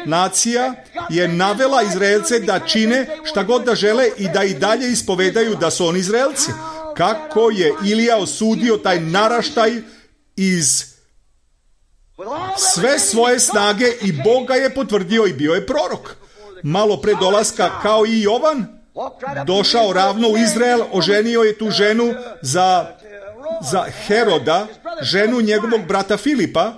nacija je navela Izraelce da čine šta god da žele i da i dalje ispovedaju da su oni Izraelci. Kako je Ilija osudio taj naraštaj iz sve svoje snage i Bog ga je potvrdio i bio je prorok. Malo pre dolaska, kao i Jovan, došao ravno u Izrael, oženio je tu ženu za Heroda, ženu njegovog brata Filipa.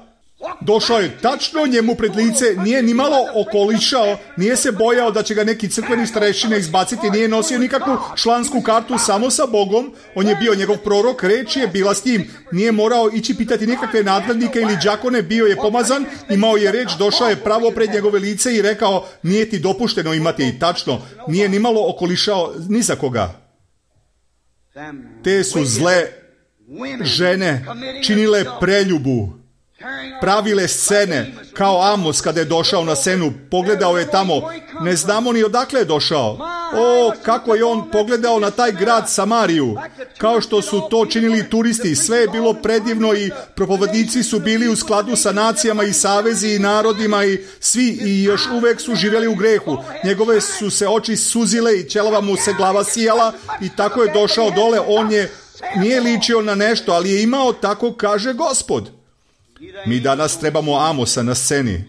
Došao je tačno njemu pred lice, nije ni malo okolišao, nije se bojao da će ga neki crkveni starešine izbaciti, nije nosio nikakvu člansku kartu, samo sa Bogom. On je bio njegov prorok, reč je bila s njim, nije morao ići pitati nikakve nadglednike ili đakone, bio je pomazan, imao je reč, došao je pravo pred njegove lice i rekao, nije ti dopušteno imati, i tačno, nije ni malo okolišao ni za koga. Te su zle žene činile preljubu, pravile scene, kao Amos kada je došao na scenu, pogledao je tamo, ne znamo ni odakle je došao. O, kako je on pogledao na taj grad Samariju, kao što su to činili turisti, sve je bilo predivno i propovednici su bili u skladu sa nacijama i savezi i narodima i svi i još uvek su živjeli u grehu. Njegove su se oči suzile i ćelava mu se glava sijala i tako je došao dole, nije ličio na nešto, ali je imao, tako kaže Gospod. Mi danas trebamo Amosa na sceni.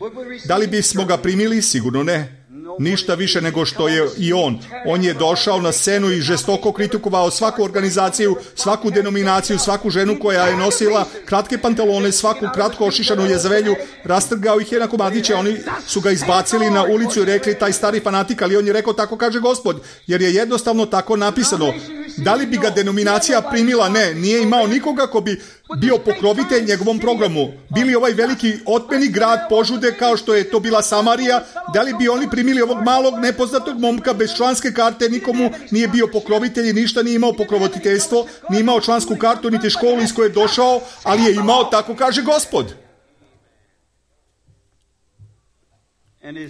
Da li bismo ga primili? Sigurno ne. Ništa više nego što je i on. On je došao na scenu i žestoko kritikovao svaku organizaciju, svaku denominaciju, svaku ženu koja je nosila kratke pantalone, svaku kratko ošišanu Jezavelju, rastrgao ih je na komadiće, oni su ga izbacili na ulicu i rekli taj stari fanatik, ali on je rekao tako kaže Gospod, jer je jednostavno tako napisano. Da li bi ga denominacija primila? Ne, nije imao nikoga ko bi bio pokrovitelj njegovom programu. Bili ovaj veliki otmeni grad požude kao što je to bila Samarija, da li bi oni primili ovog malog nepoznatog momka bez članske karte, nikomu nije bio pokrovitelj i ništa nije imao pokroviteljstvo, nije imao člansku kartu niti školu iz koje je došao, ali je imao, tako kaže Gospod.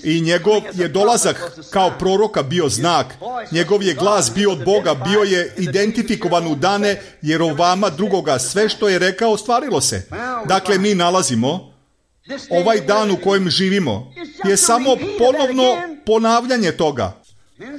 I njegov je dolazak kao proroka bio znak, njegov je glas bio od Boga, bio je identifikovan u dane Jerovama drugoga, sve što je rekao ostvarilo se. Dakle, mi nalazimo ovaj dan u kojem živimo je samo ponovno ponavljanje toga.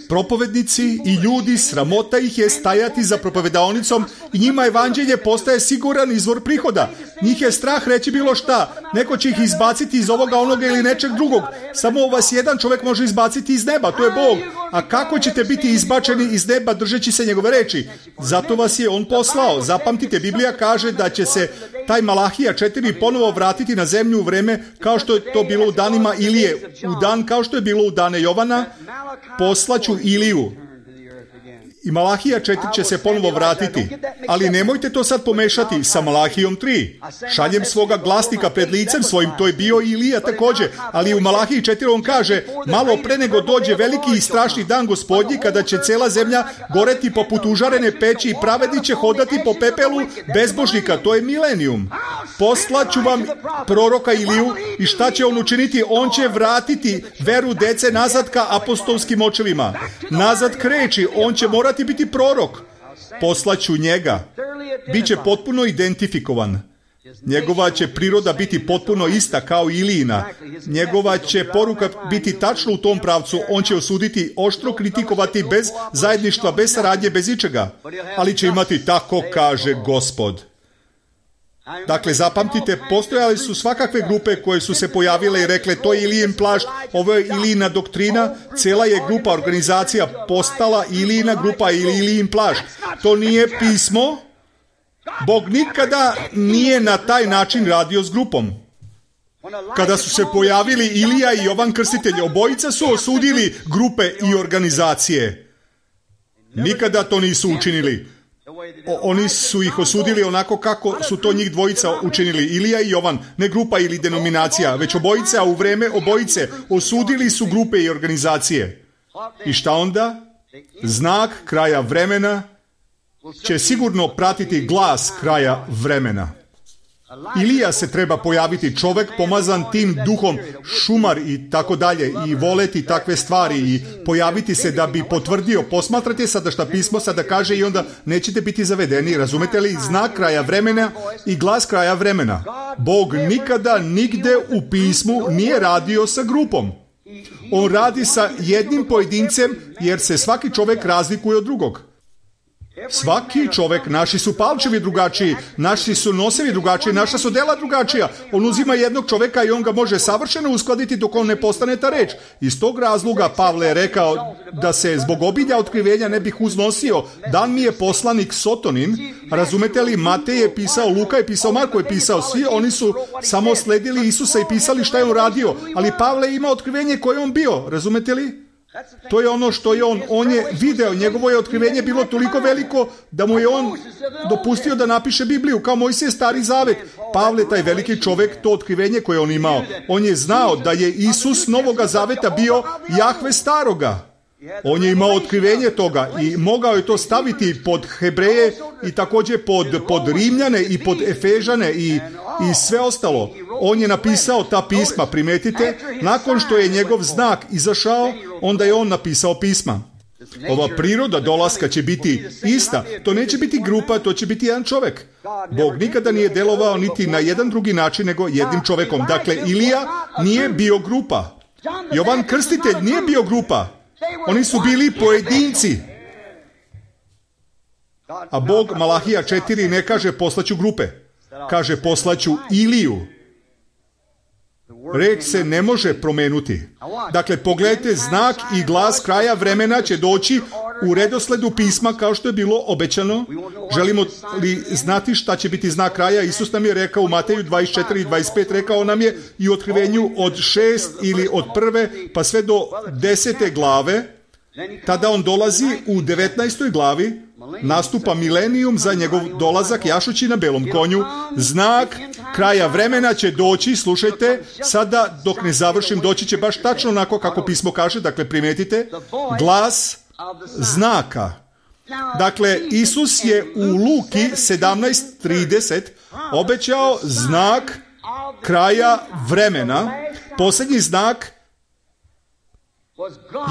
Propovednici i ljudi, sramota ih je stajati za propovedaonicom i njima evanđelje postaje siguran izvor prihoda. Njih je strah reći bilo šta. Neko će ih izbaciti iz ovoga, onoga ili nečeg drugog. Samo vas jedan čovjek može izbaciti iz neba, to je Bog. A kako ćete biti izbačeni iz neba držeći se njegove reči? Zato vas je on poslao. Zapamtite, Biblija kaže da će se taj Malahija 4 ponovo vratiti na zemlju u vreme kao što je to bilo u danima Ilije. U dan kao što je bilo u dane Jovana, poslaću Iliju. I Malahija 4 će se ponovo vratiti. Ali nemojte to sad pomešati sa Malahijom 3. Šaljem svoga glasnika pred licem svojim, to je bio i Ilija također. Ali u Malahiji 4 on kaže, malo pre nego dođe veliki i strašni dan Gospodnji, kada će cela zemlja goreti poput užarene peći i pravedni će hodati po pepelu bezbožnika. To je milenijum. Poslaću vam proroka Iliju i šta će on učiniti? On će vratiti veru dece nazad ka apostolskim očevima. Nazad kreći, on će morati biti prorok. Poslaću njega. Biće potpuno identifikovan. Njegova će priroda biti potpuno ista kao Ilijina. Njegova će poruka biti tačno u tom pravcu. On će osuditi, oštro kritikovati, bez zajedništva, bez saradnje, bez ičega. Ali će imati tako kaže Gospod. Dakle, zapamtite, postojali su svakakve grupe koje su se pojavile i rekle to je Ilijin plašt, ovo je Ilijina doktrina, cijela je grupa, organizacija postala Ilijina grupa ili Ilijin plašt. To nije pismo. Bog nikada nije na taj način radio s grupom. Kada su se pojavili Ilija i Jovan Krstitelj, obojica su osudili grupe i organizacije. Nikada to nisu učinili. Oni su ih osudili onako kako su to njih dvojica učinili. Ilija i Jovan, ne grupa ili denominacija, već obojice, a u vreme obojice osudili su grupe i organizacije. I šta onda? Znak kraja vremena će sigurno pratiti glas kraja vremena. Ilija se treba pojaviti, čovjek pomazan tim duhom, šumar i tako dalje, i voleti takve stvari i pojaviti se da bi potvrdio. Posmatrate sada šta pismo sada kaže i onda nećete biti zavedeni, razumete li? Znak kraja vremena i glas kraja vremena. Bog nikada nigde u pismu nije radio sa grupom. On radi sa jednim pojedincem jer se svaki čovjek razlikuje od drugog. Svaki čovjek, naši su palčevi drugačiji, naši su nosevi drugačiji, naša su dela drugačija. On uzima jednog čovjeka i on ga može savršeno uskladiti dok on ne postane ta reč. Iz tog razloga Pavle je rekao da se zbog obilja otkrivenja ne bih uznosio. Dan mi je poslanik Sotonin, razumete li? Matej je pisao, Luka je pisao, Marko je pisao, svi oni su samo sledili Isusa i pisali šta je on radio. Ali Pavle ima otkrivenje koje je on bio, razumete li? To je ono što je on je video, njegovo je otkrivenje bilo toliko veliko da mu je on dopustio da napiše Bibliju, kao Mojsije Stari Zavet. Pavle, taj veliki čovjek, to otkrivenje koje on imao, on je znao da je Isus Novoga Zaveta bio Jahve Staroga. On je imao otkrivenje toga i mogao je to staviti pod Hebreje i također pod Rimljane i pod Efežane i sve ostalo. On je napisao ta pisma, primetite, nakon što je njegov znak izašao, onda je on napisao pisma. Ova priroda dolaska će biti ista. To neće biti grupa, to će biti jedan čovjek. Bog nikada nije delovao niti na jedan drugi način nego jednim čovjekom. Dakle, Ilija nije bio grupa. Jovan Krstitelj nije bio grupa. Oni su bili pojedinci. A Bog, Malahija 4, ne kaže poslaću grupe. Kaže poslaću Iliju. Reč se ne može promenuti. Dakle, pogledajte, znak i glas kraja vremena će doći u redosledu pisma kao što je bilo obećano. Želimo li znati šta će biti znak kraja? Isus nam je rekao u Mateju 24 i 25, rekao nam je i u otkrivenju od 6 ili od 1. pa sve do 10. glave. Tada on dolazi u 19. glavi, nastupa milenijum za njegov dolazak jašući na belom konju. Znak kraja vremena će doći, slušajte, sada dok ne završim doći će baš tačno onako kako pismo kaže, dakle primetite, glas znaka. Dakle, Isus je u Luki 17:30 obećao znak kraja vremena. Posljednji znak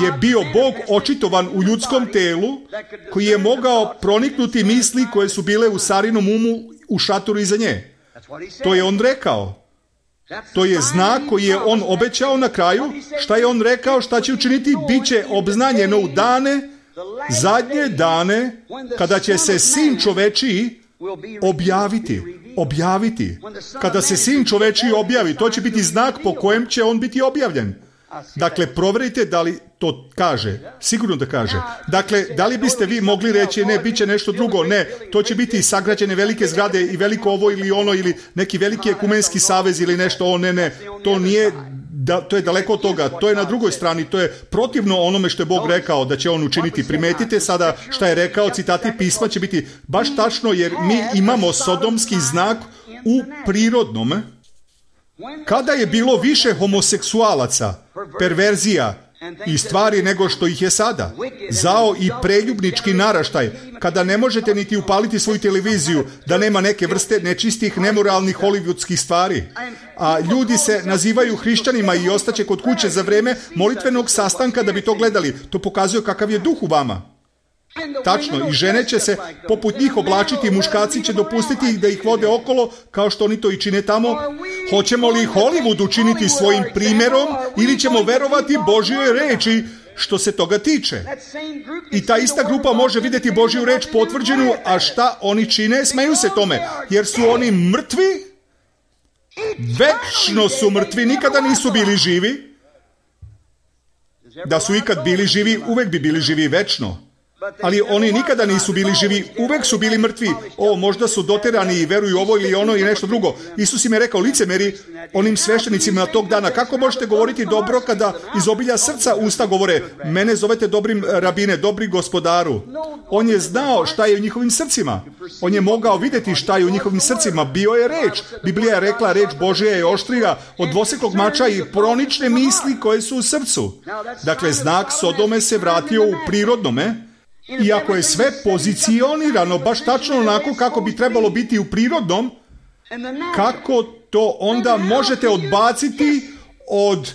je bio Bog očitovan u ljudskom telu koji je mogao proniknuti misli koje su bile u Sarinom umu u šatoru iza nje. To je on rekao. To je znak koji je on obećao na kraju. Šta je on rekao? Šta će učiniti? Biće obznanjeno u dane, zadnje dane, kada će se Sin čovečiji objaviti. Kada se Sin čovečiji objavi, to će biti znak po kojem će on biti objavljen. Dakle, provjerite da li to kaže. Sigurno da kaže. Dakle, da li biste vi mogli reći ne, bit će nešto drugo? Ne, to će biti sagrađene velike zgrade i veliko ovo ili ono ili neki veliki ekumenski savez ili nešto. Ne, to nije, to je daleko od toga. To je na drugoj strani. To je protivno onome što je Bog rekao da će on učiniti. Primetite sada šta je rekao, citati pisma će biti baš tačno jer mi imamo sodomski znak u prirodnom. Kada je bilo više homoseksualaca, perverzija i stvari nego što ih je sada, zao i preljubnički naraštaj, kada ne možete niti upaliti svoju televiziju, da nema neke vrste nečistih, nemoralnih, hollywoodskih stvari. A ljudi se nazivaju hrišćanima i ostaće kod kuće za vreme molitvenog sastanka da bi to gledali. To pokazuje kakav je duh u vama. Tačno, i žene će se poput njih oblačiti, muškarci će dopustiti ih da ih vode okolo, kao što oni to i čine tamo. Hoćemo li Hollywood učiniti svojim primjerom ili ćemo verovati Božjoj reči što se toga tiče? I ta ista grupa može vidjeti Božju reč potvrđenu, a šta oni čine? Smeju se tome, jer su oni mrtvi, večno su mrtvi, nikada nisu bili živi. Da su ikad bili živi, uvek bi bili živi večno. Ali oni nikada nisu bili živi, uvek su bili mrtvi. Možda su doterani i veruju ovo ili ono i nešto drugo. Isus im je rekao, licemeri, onim sveštenicima tog dana, kako možete govoriti dobro kada iz obilja srca usta govore, mene zovete dobrim rabine, dobri gospodaru. On je znao šta je u njihovim srcima. On je mogao vidjeti šta je u njihovim srcima. Bio je reč. Biblija je rekla, reč Božja je oštrija od dvoseklog mača i pronične misli koje su u srcu. Dakle, znak Sodome se vratio u prirodnome. Iako je sve pozicionirano baš tačno onako kako bi trebalo biti u prirodnom, kako to onda možete odbaciti od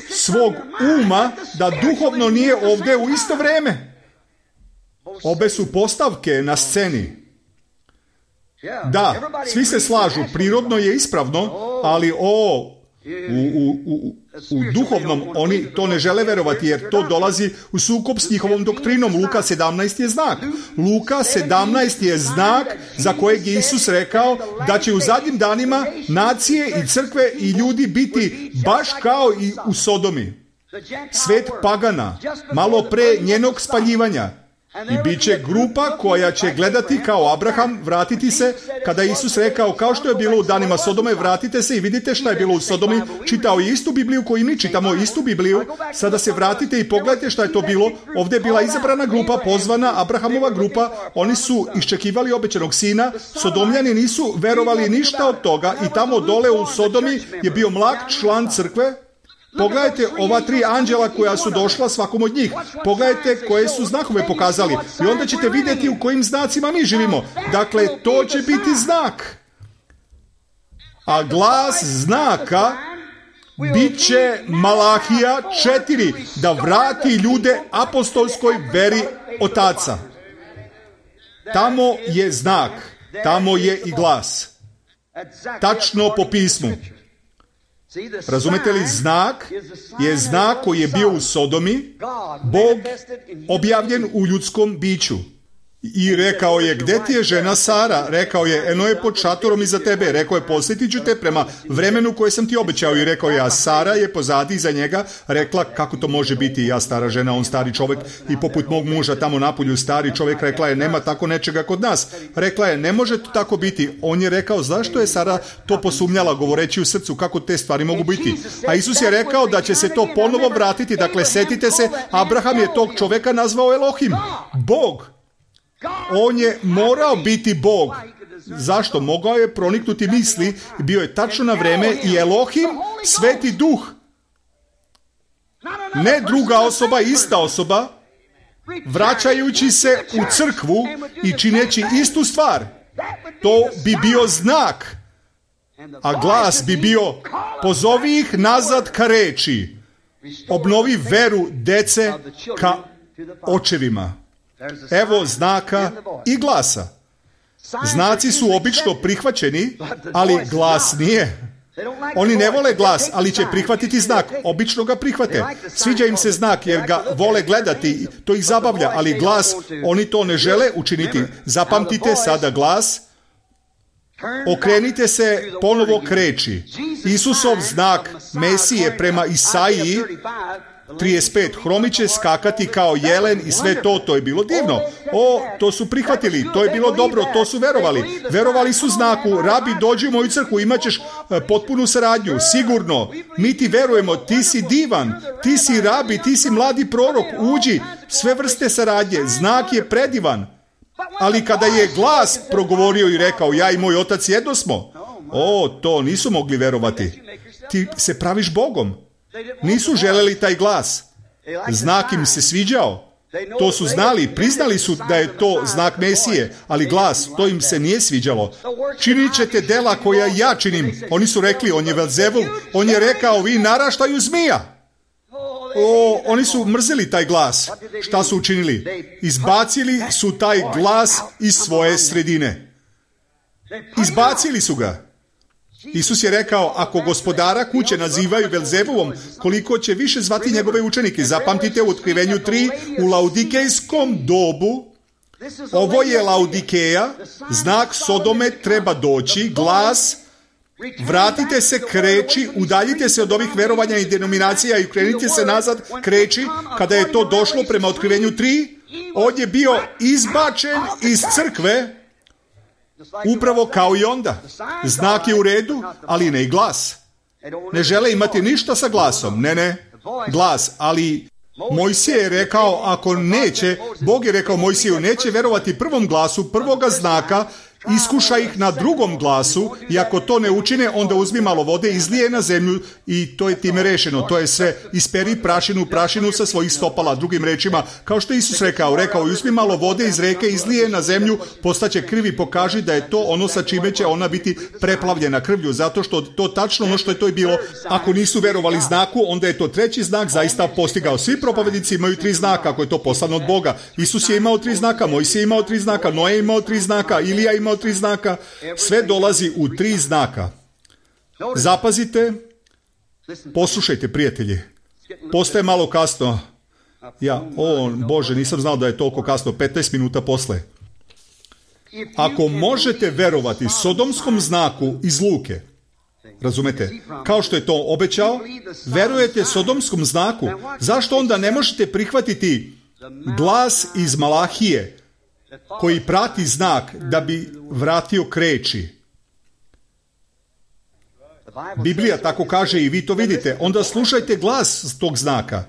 svog uma da duhovno nije ovdje u isto vrijeme? Obe su postavke na sceni. Da, svi se slažu, prirodno je ispravno, ali u duhovnom oni to ne žele verovati, jer to dolazi u sukob s njihovom doktrinom. Luka 17 je znak. Luka 17 je znak za kojeg je Isus rekao da će u zadnjim danima nacije i crkve i ljudi biti baš kao i u Sodomi. Svet pagana, malo pre njenog spaljivanja. I bit će grupa koja će gledati kao Abraham, vratiti se, kada je Isus rekao, kao što je bilo u danima Sodome, vratite se i vidite šta je bilo u Sodomi. Čitao je istu Bibliju koju mi čitamo, istu Bibliju. Sada se vratite i pogledajte šta je to bilo. Ovdje je bila izabrana grupa, pozvana Abrahamova grupa. Oni su iščekivali obećanog sina. Sodomljani nisu verovali ništa od toga i tamo dole u Sodomi je bio mlak član crkve. Pogledajte ova 3 anđela koja su došla svakom od njih. Pogledajte koje su znakove pokazali. I onda ćete vidjeti u kojim znacima mi živimo. Dakle, to će biti znak. A glas znaka bit će Malahija 4, da vrati ljude apostolskoj veri otaca. Tamo je znak. Tamo je i glas. Tačno po pismu. Razumete li, znak je znak koji je bio u Sodomi, Bog objavljen u ljudskom biću. I rekao je, gdje ti je žena Sara? Rekao je, eno je pod šatorom iza tebe. Rekao je, posjetit ću te prema vremenu koje sam ti obećao. I rekao je, a Sara je pozadi iza njega rekla, kako to može biti, ja stara žena, on stari čovjek i poput mog muža tamo napolju stari čovjek. Rekla je, nema tako nečega kod nas. Rekla je, ne može to tako biti. On je rekao, zašto je Sara to posumnjala, govoreći u srcu, kako te stvari mogu biti? A Isus je rekao da će se to ponovo vratiti. Dakle, setite se, Abraham je tog čovjeka nazvao Elohim, Bog. On je morao biti Bog. Zašto? Mogao je proniknuti misli, bio je tačno na vreme i Elohim, sveti duh. Ne druga osoba, ista osoba, vraćajući se u crkvu i čineći istu stvar. To bi bio znak. A glas bi bio, pozovi ih nazad ka reči. Obnovi veru dece ka očevima. Evo znaka i glasa. Znaci su obično prihvaćeni, ali glas nije. Oni ne vole glas, ali će prihvatiti znak. Obično ga prihvate. Sviđa im se znak jer ga vole gledati. To ih zabavlja, ali glas, oni to ne žele učiniti. Zapamtite sada glas. Okrenite se ponovo k reči. Isusov znak Mesije prema Isaiji 35, hromi će skakati kao jelen i sve to je bilo divno. To su prihvatili, to je bilo dobro, to su verovali. Verovali su znaku, rabi, dođi u moju crkvu, imat ćeš potpunu saradnju, sigurno. Mi ti verujemo, ti si divan, ti si rabi, ti si mladi prorok, uđi, sve vrste saradnje, znak je predivan. Ali kada je glas progovorio i rekao, ja i moj otac jedno smo, to nisu mogli verovati. Ti se praviš Bogom. Nisu želeli taj glas. Znak im se sviđao. To su znali, priznali su da je to znak Mesije, ali glas, to im se nije sviđalo. Činit ćete dela koja ja činim. Oni su rekli, on je Velzebul, on je rekao, vi naraštaju zmija. Oni su mrzeli taj glas. Šta su učinili? Izbacili su taj glas iz svoje sredine. Izbacili su ga. Isus je rekao, ako gospodara kuće nazivaju Belzebuvom, koliko će više zvati njegove učenike. Zapamtite u Otkrivenju 3, u laudikejskom dobu, ovo je Laudikeja, znak Sodome treba doći, glas, vratite se, kreći, udaljite se od ovih verovanja i denominacija i krenite se nazad, kreći. Kada je to došlo prema Otkrivenju 3, on je bio izbačen iz crkve, upravo kao i onda. Znak je u redu, ali ne i glas. Ne žele imati ništa sa glasom. Ne, glas. Ali Mojsije je rekao, ako neće, Bog je rekao Mojsiju, neće verovati prvom glasu, prvoga znaka, iskuša ih na drugom glasu i ako to ne učine, onda uzmi malo vode, izlije na zemlju i to je time rešeno. To je sve. Isperi prašinu sa svojih stopala. Drugim rečima, kao što je Isus rekao, uzmi malo vode iz reke, izlije na zemlju, postaće krv i pokaži da je to ono sa čime će ona biti preplavljena krvlju, zato što to tačno ono što je to i bilo. Ako nisu verovali znaku, onda je to treći znak zaista postigao. Svi propovjednici imaju 3 znaka, ako je to poslano od Boga. Isus je imao 3 znaka, Mojsije je imao 3 znaka, Noe je imao 3 znaka, Ilija je imao 3 znaka, sve dolazi u 3 znaka. Zapazite, poslušajte, prijatelji. Postaje malo kasno. Bože, nisam znao da je toliko kasno, 15 minuta posle. Ako možete verovati sodomskom znaku iz Luke, razumete, kao što je to obećao, verujete sodomskom znaku, zašto onda ne možete prihvatiti glas iz Malahije, koji prati znak da bi vratio kreći? Biblija tako kaže i vi to vidite. Onda slušajte glas tog znaka.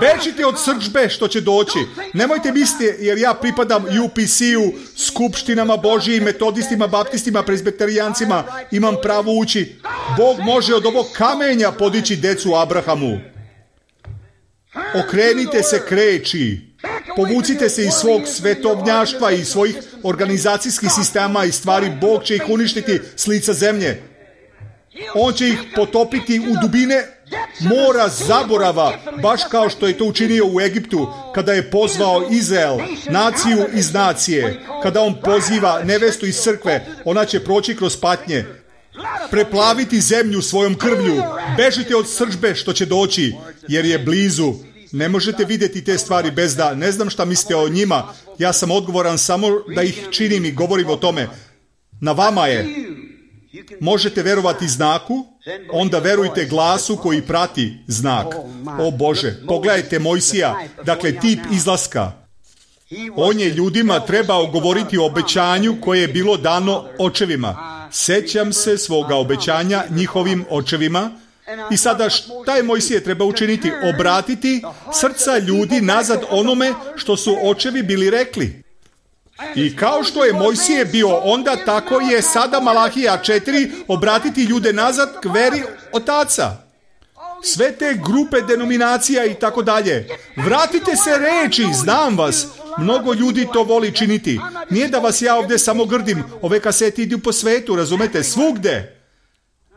Bežite od srdžbe što će doći. Nemojte misliti, jer ja pripadam UPC-u, skupštinama Božijim, metodistima, baptistima, prezbiterijancima, imam pravo ući. Bog može od ovog kamenja podići decu Abrahamu. Okrenite se kreći. Povucite se iz svog svetovnjaštva i svojih organizacijskih sistema i stvari. Bog će ih uništiti s lica zemlje. On će ih potopiti u dubine mora zaborava, baš kao što je to učinio u Egiptu, kada je pozvao Izrael, naciju iz nacije. Kada on poziva nevestu iz crkve, ona će proći kroz patnje, preplaviti zemlju svojom krvlju. Bežite od srdžbe što će doći, jer je blizu. Ne možete vidjeti te stvari bez da, ne znam šta mislite o njima, ja sam odgovoran samo da ih činim i govorim o tome. Na vama je. Možete verovati znaku, onda verujte glasu koji prati znak. O Bože, pogledajte Mojsija, dakle tip izlaska. On je ljudima trebao govoriti o obećanju koje je bilo dano očevima. Sećam se svoga obećanja njihovim očevima. I sada šta je Mojsije treba učiniti? Obratiti srca ljudi nazad onome što su očevi bili rekli. I kao što je Mojsije bio onda, tako je sada Malahija 4 obratiti ljude nazad k veri otaca. Sve te grupe denominacija i tako dalje. Vratite se reči, znam vas. Mnogo ljudi to voli činiti. Nije da vas ja ovdje samo grdim. Ove kasete idu po svetu, razumete, svugde.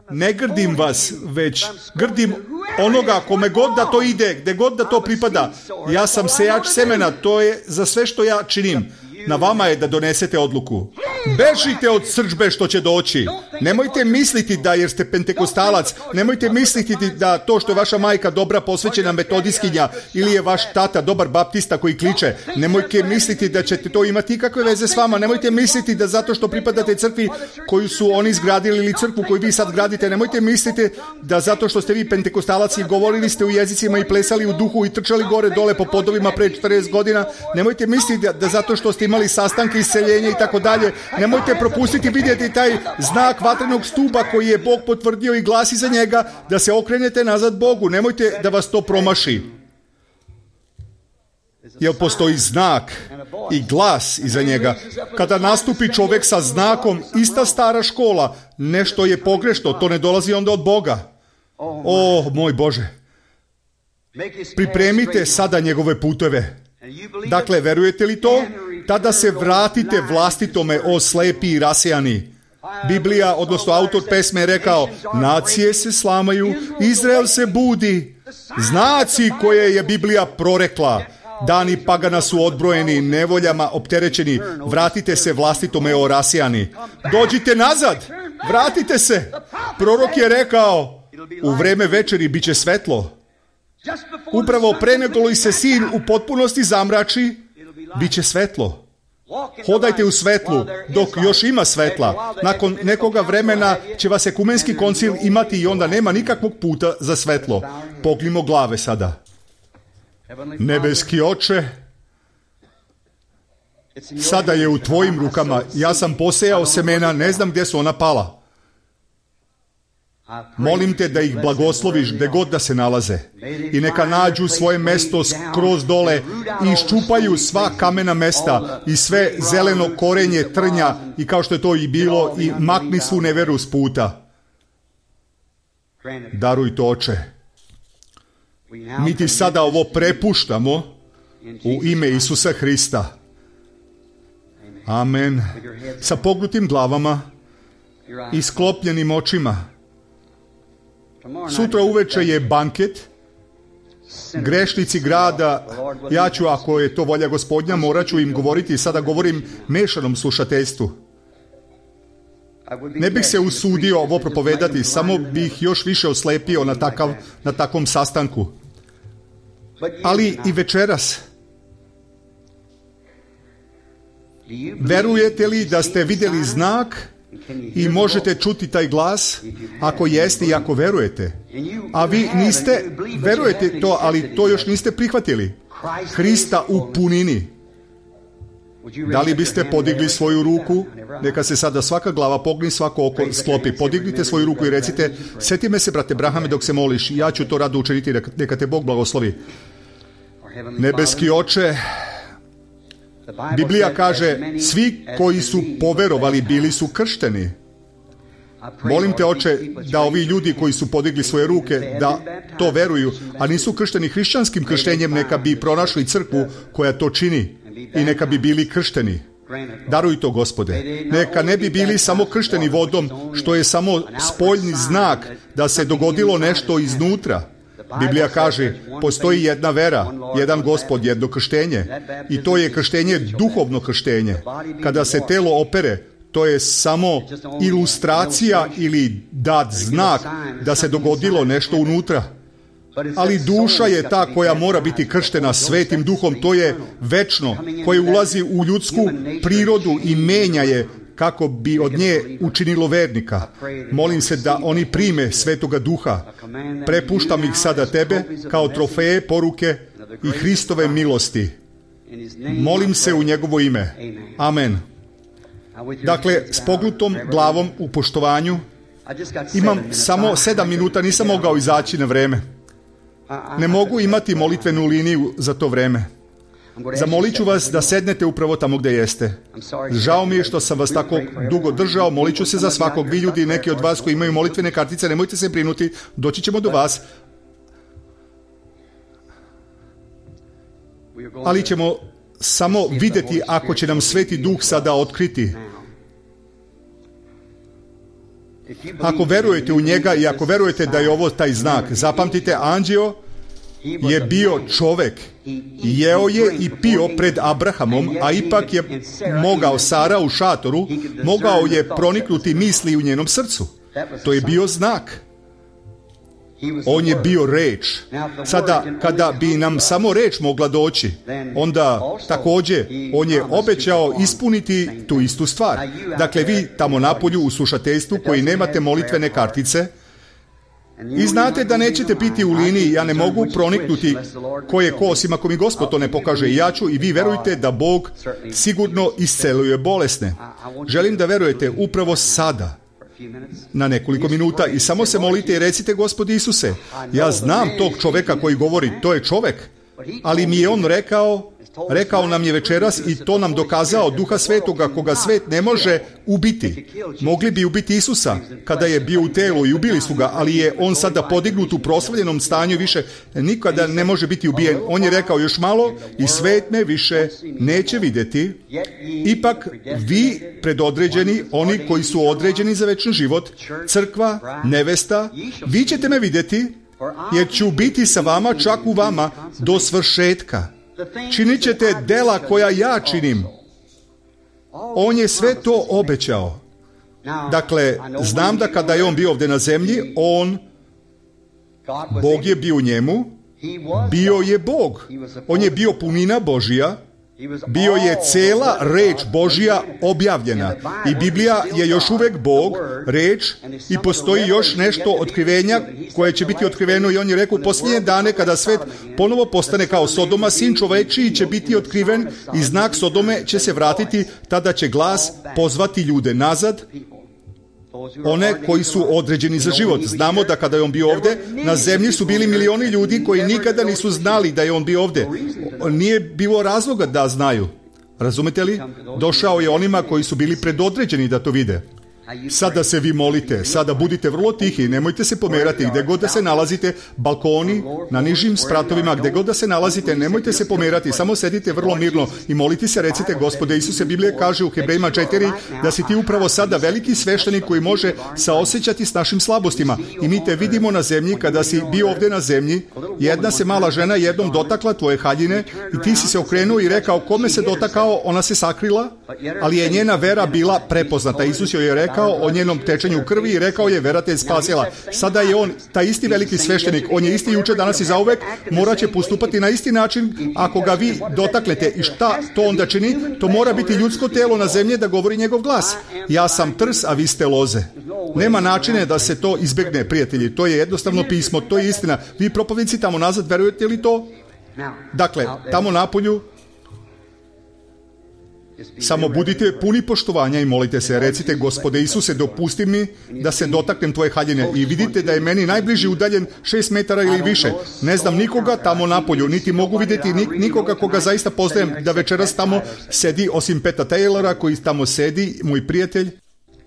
Ne grdim vas, već grdim onoga kome god da to ide, gde god da to pripada. Ja sam sejač semena, to je za sve što ja činim. Na vama je da donesete odluku. Bežite od srdžbe što će doći. Nemojte misliti da jer ste pentekostalac, nemojte misliti da to što je vaša majka dobra posvećena metodiskinja ili je vaš tata dobar baptista koji kliče. Nemojte misliti da ćete to imati ikakve veze s vama. Nemojte misliti da zato što pripadate crkvi koju su oni izgradili ili crkvu koju vi sad gradite. Nemojte misliti da zato što ste vi pentekostalac i govorili ste u jezicima i plesali u duhu i trčali gore dole po podovima pre 40 godina. Nemojte misliti da zato što ste imali sastanke, isceljenje i tako dalje. Nemojte propustiti vidjeti taj znak vatrenog stuba koji je Bog potvrdio i glas iza njega, da se okrenete nazad Bogu. Nemojte da vas to promaši. Jer postoji znak i glas iza njega. Kada nastupi čovjek sa znakom, ista stara škola, nešto je pogrešno, to ne dolazi onda od Boga. O, moj Bože. Pripremite sada njegove puteve. Dakle, verujete li to? Tada se vratite vlastitome, o slepi i rasejani. Biblija, odnosno autor pesme je rekao, nacije se slamaju, Izrael se budi, Znaci koje je Biblija prorekla. Dani pagana su odbrojeni, nevoljama opterećeni. Vratite se vlastitome Orasijani. Dođite nazad, vratite se. Prorok je rekao, u vreme večeri bit će svetlo. Upravo pre nego li se sin u potpunosti zamrači, bit će svetlo. Hodajte u svetlu, dok još ima svetla. Nakon nekoga vremena će vas ekumenski koncil imati i onda nema nikakvog puta za svetlo. Pognimo glave sada. Nebeski Oče, sada je u tvojim rukama. Ja sam posejao semena, ne znam gdje su ona pala. Molim te da ih blagosloviš gdje god da se nalaze. I neka nađu svoje mesto skroz dole i iščupaju sva kamena mesta i sve zeleno korenje trnja i kao što je to i bilo i makni svu neveru s puta. Daruj to, Oče. Mi ti sada ovo prepuštamo u ime Isusa Hrista. Amen. Sa pognutim glavama i sklopljenim očima. Sutra uveče je banket. Grešnici grada, ja ću, ako je to volja Gospodnja, morat ću im govoriti, sada govorim mešanom slušateljstvu. Ne bih se usudio ovo propovedati, samo bih još više oslepio na takvom sastanku. Ali i večeras. Verujete li da ste vidjeli znak i možete čuti taj glas? Ako jeste i ako verujete. A vi niste, verujete to, ali to još niste prihvatili. Hrista u punini. Da li biste podigli svoju ruku? Neka se sada svaka glava pogni, svako oko sklopi. Podignite svoju ruku i recite, sjeti me se, brate Brahame, dok se moliš. Ja ću to rado učiniti, neka te Bog blagoslovi. Nebeski Oče, Biblija kaže, svi koji su poverovali bili su kršteni. Molim te, Oče, da ovi ljudi koji su podigli svoje ruke, da to veruju, a nisu kršteni hrišćanskim krštenjem, neka bi pronašli crkvu koja to čini i neka bi bili kršteni. Daruj to, Gospode. Neka ne bi bili samo kršteni vodom, što je samo spoljni znak da se dogodilo nešto iznutra. Biblija kaže, postoji jedna vera, jedan Gospod, jedno krštenje. I to je krštenje, duhovno krštenje. Kada se telo opere, to je samo ilustracija ili dat znak da se dogodilo nešto unutra. Ali duša je ta koja mora biti krštena Svetim Duhom, to je večno, koje ulazi u ljudsku prirodu i menja je kako bi od nje učinilo vernika. Molim se da oni prime Svetoga Duha. Prepuštam ih sada tebe kao trofeje, poruke i Hristove milosti. Molim se u njegovo ime. Amen. Dakle, s pognutom glavom u poštovanju, imam samo 7 minuta, nisam mogao izaći na vreme. Ne mogu imati molitvenu liniju za to vreme. Zamolit ću vas da sednete upravo tamo gdje jeste. Žao mi je što sam vas tako dugo držao, molit ću se za svakog. Vi ljudi, neki od vas koji imaju molitvene kartice, nemojte se brinuti, doći ćemo do vas. Ali ćemo samo vidjeti ako će nam Sveti Duh sada otkriti. Ako verujete u njega i ako verujete da je ovo taj znak, zapamtite, Anđeo je bio čovek, jeo je i pio pred Abrahamom, a ipak je mogao, Sara u šatoru, mogao je proniknuti misli u njenom srcu. To je bio znak. On je bio reč. Sada, kada bi nam samo reč mogla doći, onda također on je obećao ispuniti tu istu stvar. Dakle, vi tamo napolju u slušateljstvu koji nemate molitvene kartice i znate da nećete biti u liniji, ja ne mogu proniknuti ko je ko, osim ako mi Gospod to ne pokaže, i ja ću, i vi verujte da Bog sigurno isceluje bolesne. Želim da verujete upravo sada, na nekoliko minuta, i samo se molite i recite, Gospodi Isuse, ja znam tog čoveka koji govori, to je čovek, ali mi je on rekao nam je večeras i to nam dokazao Duha Svetoga, koga svet ne može ubiti. Mogli bi ubiti Isusa kada je bio u telu i ubili su ga, ali je on sada podignut u proslavljenom stanju i više nikada ne može biti ubijen. On je rekao, još malo i svet me više neće vidjeti. Ipak vi predodređeni, oni koji su određeni za večni život, crkva, nevesta, vi ćete me vidjeti jer ću biti sa vama, čak u vama, do svršetka. Činit ćete dela koja ja činim. On je sve to obećao. Dakle, znam da kada je on bio ovdje na zemlji, Bog je bio u njemu, bio je Bog. On je bio punina Božja, bio je cela reč Božja objavljena. I Biblija je još uvek Bog, reč, i postoji još nešto otkrivenja koje će biti otkriveno. I on je rekao, u posljednje dane kada svet ponovo postane kao Sodoma, sin čovečiji će biti otkriven i znak Sodome će se vratiti, tada će glas pozvati ljude nazad, one koji su određeni za život. Znamo da kada je on bio ovdje, na zemlji su bili milioni ljudi koji nikada nisu znali da je on bio ovdje. Nije bilo razloga da znaju. Razumete li? Došao je onima koji su bili predodređeni da to vide. Sada se vi molite, sada budite vrlo tihi, nemojte se pomerati, gdje god da se nalazite, balkoni, na nižim spratovima, gdje god da se nalazite, nemojte se pomerati, samo sedite vrlo mirno i molite se, recite, Gospode Isuse, Biblija kaže u Hebrejima 4 da si ti upravo sada veliki sveštenik koji može saosećati s našim slabostima. I mi te vidimo na zemlji, kada si bio ovdje na zemlji, jedna se mala žena jednom dotakla tvoje haljine i ti si se okrenuo i rekao, kome se dotakao, ona se sakrila, ali je njena vera bila prepoznata. Isus joj je rekao o njenom tečenju krvi i rekao je, vera te je spasila. Sada je on, taj isti veliki sveštenik, on je isti juče, danas i zauvek, morat će postupati na isti način ako ga vi dotaknete. I šta to onda čini? To mora biti ljudsko telo na zemlji da govori njegov glas. Ja sam trs, a vi ste loze. Nema načine da se to izbjegne, prijatelji. To je jednostavno pismo, to je istina. Vi propovjednici tamo nazad, verujete li to? Dakle, tamo napolju, samo budite puni poštovanja i molite se, recite, Gospode Isuse, dopusti mi da se dotaknem tvoje haljine. I vidite da je meni najbliži udaljen 6 metara ili više. Ne znam nikoga tamo napolju, niti mogu vidjeti nikoga koga zaista poznajem da večeras tamo sedi, osim Peta Taylora koji tamo sedi, moj prijatelj.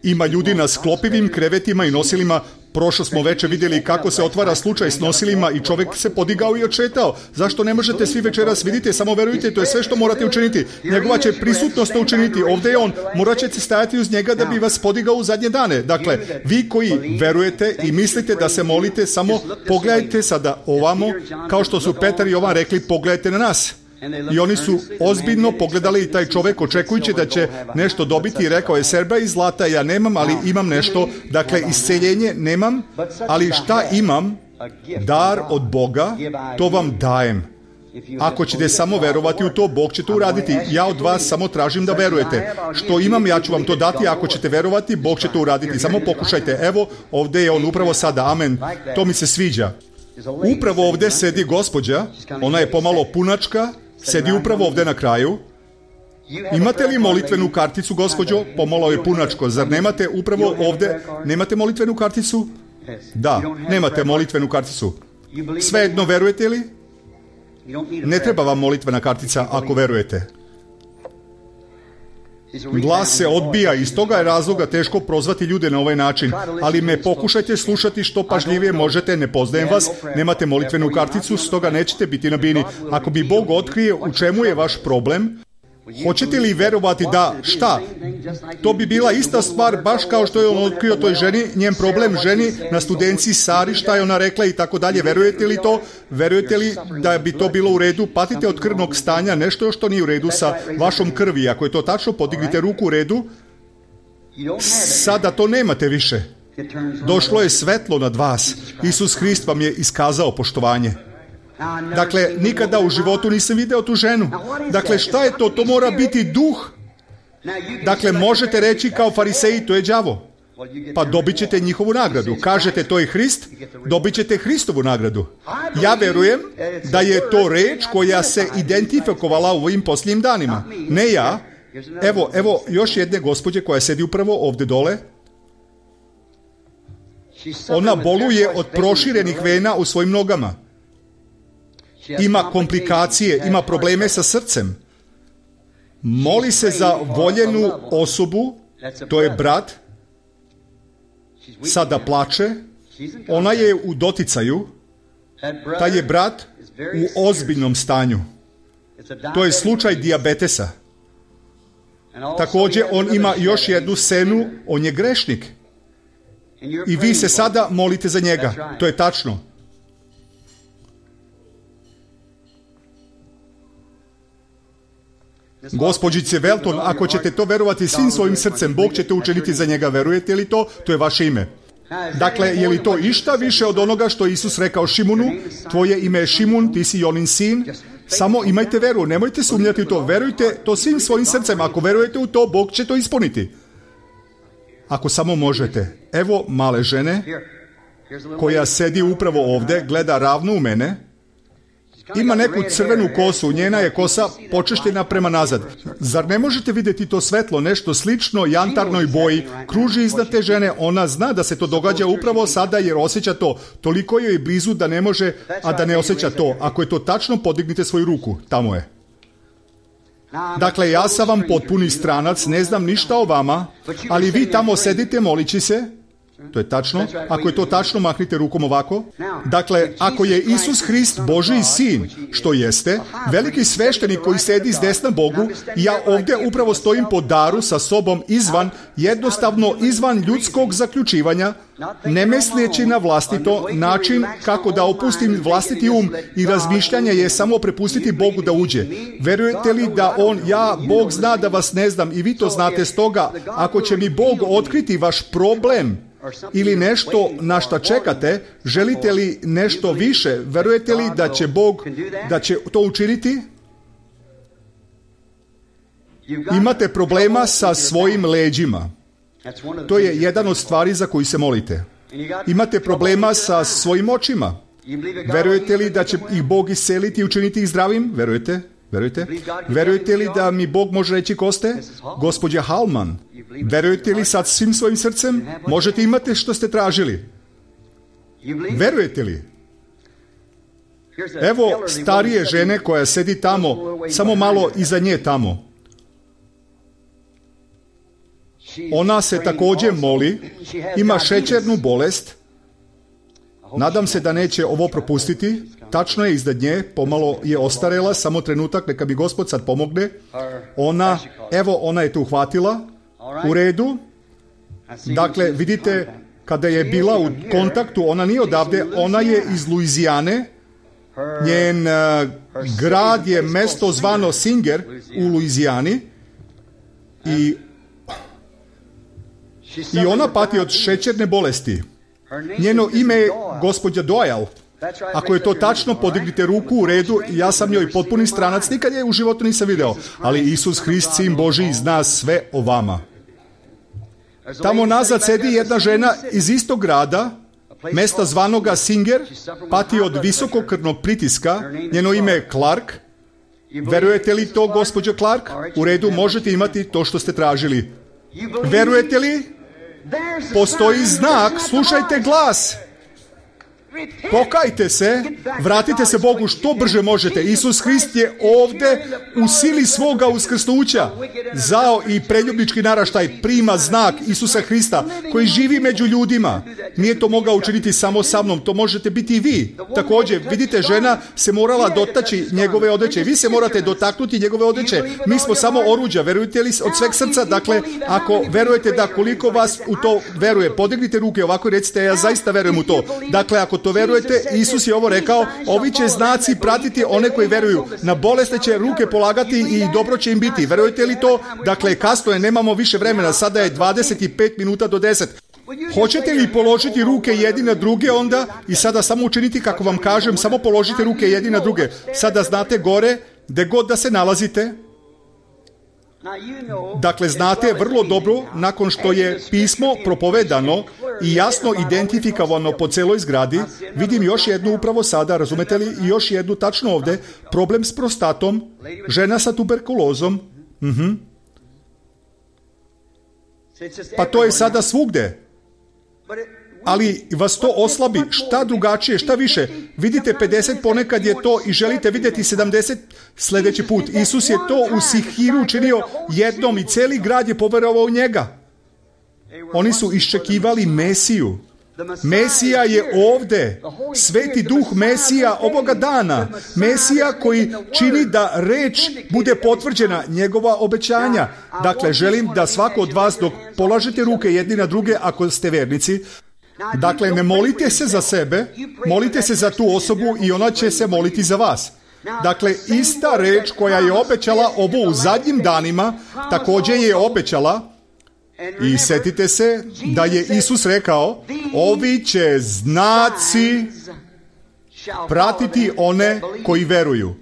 Ima ljudi na sklopivim krevetima i nosilima. Prošlo smo večer vidjeli kako se otvara slučaj s nosilima i čovjek se podigao i odšetao. Zašto ne možete svi večeras? Vidite, samo verujte, to je sve što morate učiniti. Njegova će prisutnost učiniti. Ovdje je on. Morat ćete stajati uz njega da bi vas podigao u zadnje dane. Dakle, vi koji verujete i mislite da se molite, samo pogledajte sada ovamo, kao što su Petar i Jovan rekli, pogledajte na nas. I oni su ozbiljno pogledali i taj čovjek očekujući da će nešto dobiti i rekao je, srebra i zlata ja nemam, ali imam nešto. Dakle, isceljenje nemam, ali šta imam? Dar od Boga, to vam dajem. Ako ćete samo verovati u to, Bog će to uraditi. Ja od vas samo tražim da verujete. Što imam, ja ću vam to dati. Ako ćete verovati, Bog će to uraditi. Samo pokušajte. Evo, ovdje je on upravo sada. Amen. To mi se sviđa. Upravo ovdje sedi gospođa. Ona je pomalo punačka. Sedi upravo ovdje na kraju. Imate li molitvenu karticu, gospođo? Pomalo je punačko. Zar nemate upravo ovdje? Nemate molitvenu karticu? Da, nemate molitvenu karticu. Svejedno, verujete li? Ne treba vam molitvena kartica ako verujete. Glas se odbija i iz toga je razloga teško prozvati ljude na ovaj način. Ali me pokušajte slušati što pažljivije možete, ne poznajem vas, nemate molitvenu karticu, stoga nećete biti na bini. Ako bi Bog otkrije u čemu je vaš problem, hoćete li verovati da šta? To bi bila ista stvar, baš kao što je on otkrio toj ženi, njen problem ženi na studenciji Sari, šta je ona rekla i tako dalje. Verujete li to? Verujete li da bi to bilo u redu? Patite od krvnog stanja, nešto što nije u redu sa vašom krvi. Ako je to tačno, podignite ruku u redu. Sada to nemate više. Došlo je svetlo nad vas. Isus Hrist vam je iskazao poštovanje. Dakle, nikada u životu nisam video tu ženu. Dakle, šta je to? To mora biti duh. Dakle, možete reći kao fariseji, to je đavo. Pa dobit ćete njihovu nagradu. Kažete, to je Hrist, dobit ćete Hristovu nagradu. Ja verujem da je to reč koja se identifikovala u ovim posljednjim danima. Ne ja. Evo još jedne gospođe koja sedi upravo ovdje dole. Ona boluje od proširenih vena u svojim nogama. Ima komplikacije, ima probleme sa srcem. Moli se za voljenu osobu, to je brat, sada plače, ona je u doticaju, taj je brat u ozbiljnom stanju. To je slučaj dijabetesa. Također on ima još jednu scenu, on je grešnik. I vi se sada molite za njega, to je tačno. Gospođice Welton, ako ćete to verovati svim svojim srcem, Bog će to učiniti za njega. Verujete li to? To je vaše ime. Dakle, je li to išta više od onoga što Isus rekao Šimunu? Tvoje ime je Šimun, ti si Jonin sin. Samo imajte veru, nemojte sumnjati u to. Verujte to svim svojim srcem. Ako verujete u to, Bog će to ispuniti. Ako samo možete. Evo male žene koja sedi upravo ovde, gleda ravno u mene. Ima neku crvenu kosu, njena je kosa počešljena prema nazad. Zar ne možete vidjeti to svetlo, nešto slično jantarnoj boji, kruži iznad te žene, ona zna da se to događa upravo sada jer osjeća to. Toliko joj je blizu da ne može, a da ne osjeća to. Ako je to tačno, podignite svoju ruku, tamo je. Dakle, ja sam vam potpuni stranac, ne znam ništa o vama, ali vi tamo sedite molići se. To je tačno. Ako je to tačno, mahnite rukom ovako. Dakle, ako je Isus Hrist Božji sin, što jeste, veliki sveštenik koji sedi s desna Bogu, ja ovdje upravo stojim po daru sa sobom jednostavno izvan ljudskog zaključivanja, ne misleći na vlastito, način kako da opustim vlastiti um i razmišljanje je samo prepustiti Bogu da uđe. Verujete li da Bog zna da vas ne znam i vi to znate, stoga ako će mi Bog otkriti vaš problem ili nešto na šta čekate, želite li nešto više, verujete li da će Bog da će to učiniti? Imate problema sa svojim leđima. To je jedan od stvari za koju se molite. Imate problema sa svojim očima. Verujete li da će ih Bog isceliti i učiniti ih zdravim? Verujete? Verujete li da mi Bog može reći koste? Gospođa Halman, verujete li sad svim svojim srcem? Možete imati što ste tražili. Verujete li? Evo starije žene koja sedi tamo, samo malo iza nje tamo. Ona se također moli, ima šećernu bolest. Nadam se da neće ovo propustiti. Tačno je iznad nje, pomalo je ostarela, samo trenutak, neka mi Gospod sad pomogne. Ona je tu uhvatila. U redu. Dakle, vidite, kada je bila u kontaktu, ona nije odavde, ona je iz Luizijane. Njen grad je mesto zvano Singer u Luizijani. I ona pati od šećerne bolesti. Njeno ime je gospođa Doyle. Ako je to tačno, podignite ruku, u redu, ja sam njoj potpuni stranac, nikad je u životu nisam video, ali Isus Hrist, sin Božji, zna sve o vama. Tamo nazad sedi jedna žena iz istog grada, mesta zvanoga Singer, pati od visokog krvnog pritiska, njeno ime je Clark. Verujete li to, gospođo Clark? U redu, možete imati to što ste tražili. Verujete li? Postoji znak, slušajte glas. Pokajte se, vratite se Bogu što brže možete. Isus Hrist je ovdje u sili svoga uskrsnuća. Zao i preljubnički naraštaj prima znak Isusa Hrista koji živi među ljudima. Nije to mogao učiniti samo sa mnom, to možete biti i vi. Također, vidite, žena se morala dotaći njegove odeće. Vi se morate dotaknuti njegove odeće. Mi smo samo oruđa, verujete li od sveg srca? Dakle, ako verujete da koliko vas u to veruje, podignite ruke ovako i recite, ja zaista verujem u to. Dakle, ako to verujete, Isus je ovo rekao, ovi će znaci pratiti one koji veruju. Na bolesne će ruke polagati i dobro će im biti. Verujete li to? Dakle, kasno je, nemamo više vremena, sada je 25 minuta do 10. Hoćete li položiti ruke jedni na druge onda i sada samo učiniti kako vam kažem, samo položite ruke jedni na druge. Sada znate gore, gde god da se nalazite. Dakle, znate vrlo dobro, nakon što je pismo propovedano i jasno identifikovano po celoj zgradi, vidim još jednu upravo sada, razumete li, i još jednu tačno ovdje, problem s prostatom, žena sa tuberkulozom. Pa to je sada svugde. Ali vas to oslabi, šta drugačije, šta više. Vidite 50, ponekad je to i želite vidjeti 70 sljedeći put. Isus je to u Sihiru učinio jednom i cijeli grad je poverovao u njega. Oni su iščekivali Mesiju. Mesija je ovdje. Sveti duh Mesija ovoga dana. Mesija koji čini da reč bude potvrđena, njegova obećanja. Dakle, želim da svako od vas, dok polažete ruke jedni na druge, ako ste vernici, dakle, ne molite se za sebe, molite se za tu osobu i ona će se moliti za vas. Dakle, ista reč koja je obećala ovo u zadnjim danima, također je obećala, i setite se da je Isus rekao, ovi će znaci pratiti one koji veruju.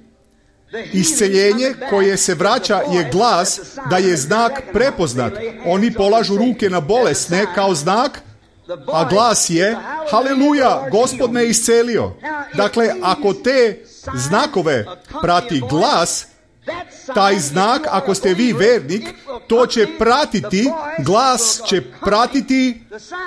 Isceljenje koje se vraća je glas da je znak prepoznat. Oni polažu ruke na bolesne kao znak, a glas je, haleluja, Gospod me iscelio. Dakle, ako te znakove prati glas, taj znak, ako ste vi vernik, to će pratiti, glas će pratiti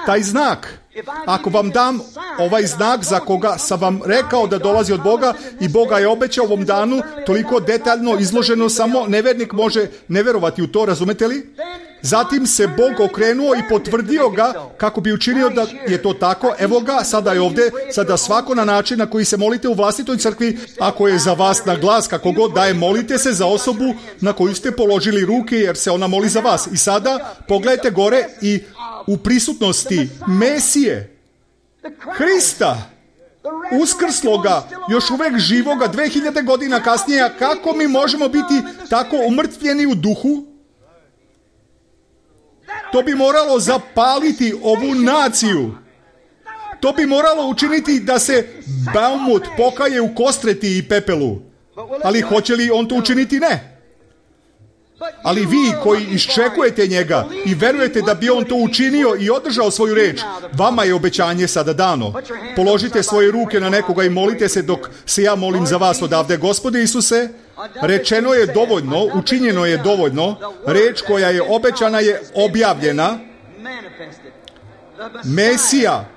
taj znak. Ako vam dam ovaj znak za koga sam vam rekao da dolazi od Boga i Boga je obećao ovom danu, toliko detaljno izloženo, samo nevernik može ne verovati u to, razumete li? Zatim se Bog okrenuo i potvrdio ga kako bi učinio da je to tako. Evo ga, sada je ovdje, sada svako na način na koji se molite u vlastitoj crkvi, ako je za vas na glas, kako god da je, molite se za osobu na koju ste položili ruke, jer se ona moli za vas. I sada pogledajte gore i u prisutnosti Mesije, Hrista, uskrsloga, još uvek živoga, 2000 godina kasnije, kako mi možemo biti tako umrtvljeni u duhu? To bi moralo zapaliti ovu naciju. To bi moralo učiniti da se Baumut pokaje u kostreti i pepelu. Ali hoće li on to učiniti? Ne. Ali vi koji iščekujete njega i verujete da bi on to učinio i održao svoju reč, vama je obećanje sada dano. Položite svoje ruke na nekoga i molite se dok se ja molim za vas odavde. Gospode Isuse, rečeno je dovoljno, učinjeno je dovoljno, reč koja je obećana je objavljena. Mesija,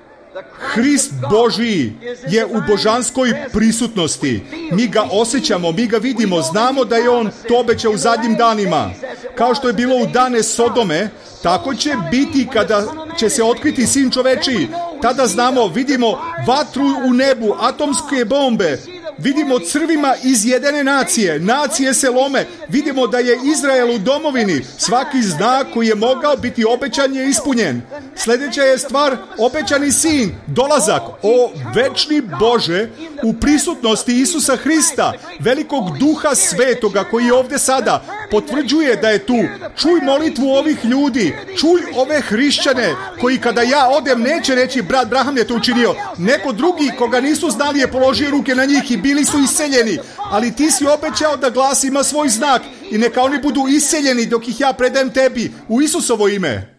Hrist Božiji je u božanskoj prisutnosti. Mi ga osjećamo, mi ga vidimo, znamo da je on to obećao u zadnjim danima. Kao što je bilo u dane Sodome, tako će biti kada će se otkriti Sin čovečiji. Tada znamo, vidimo vatru u nebu, atomske bombe, vidimo crvima izjedene nacije, nacije se lome, vidimo da je Izrael u domovini, svaki znak koji je mogao biti obećan je ispunjen. Sljedeća je stvar, obećani Sin, dolazak, o večni Bože, u prisutnosti Isusa Hrista, velikog Duha Svetoga koji je ovdje sada, potvrđuje da je tu. Čuj molitvu ovih ljudi, čuj ove hrišćane koji kada ja odem neće reći brat Braham je to učinio, neko drugi koga nisu znali je položio ruke na njih i bili su iseljeni, ali ti si obećao da glas ima svoj znak i neka oni budu iseljeni dok ih ja predajem tebi u Isusovo ime.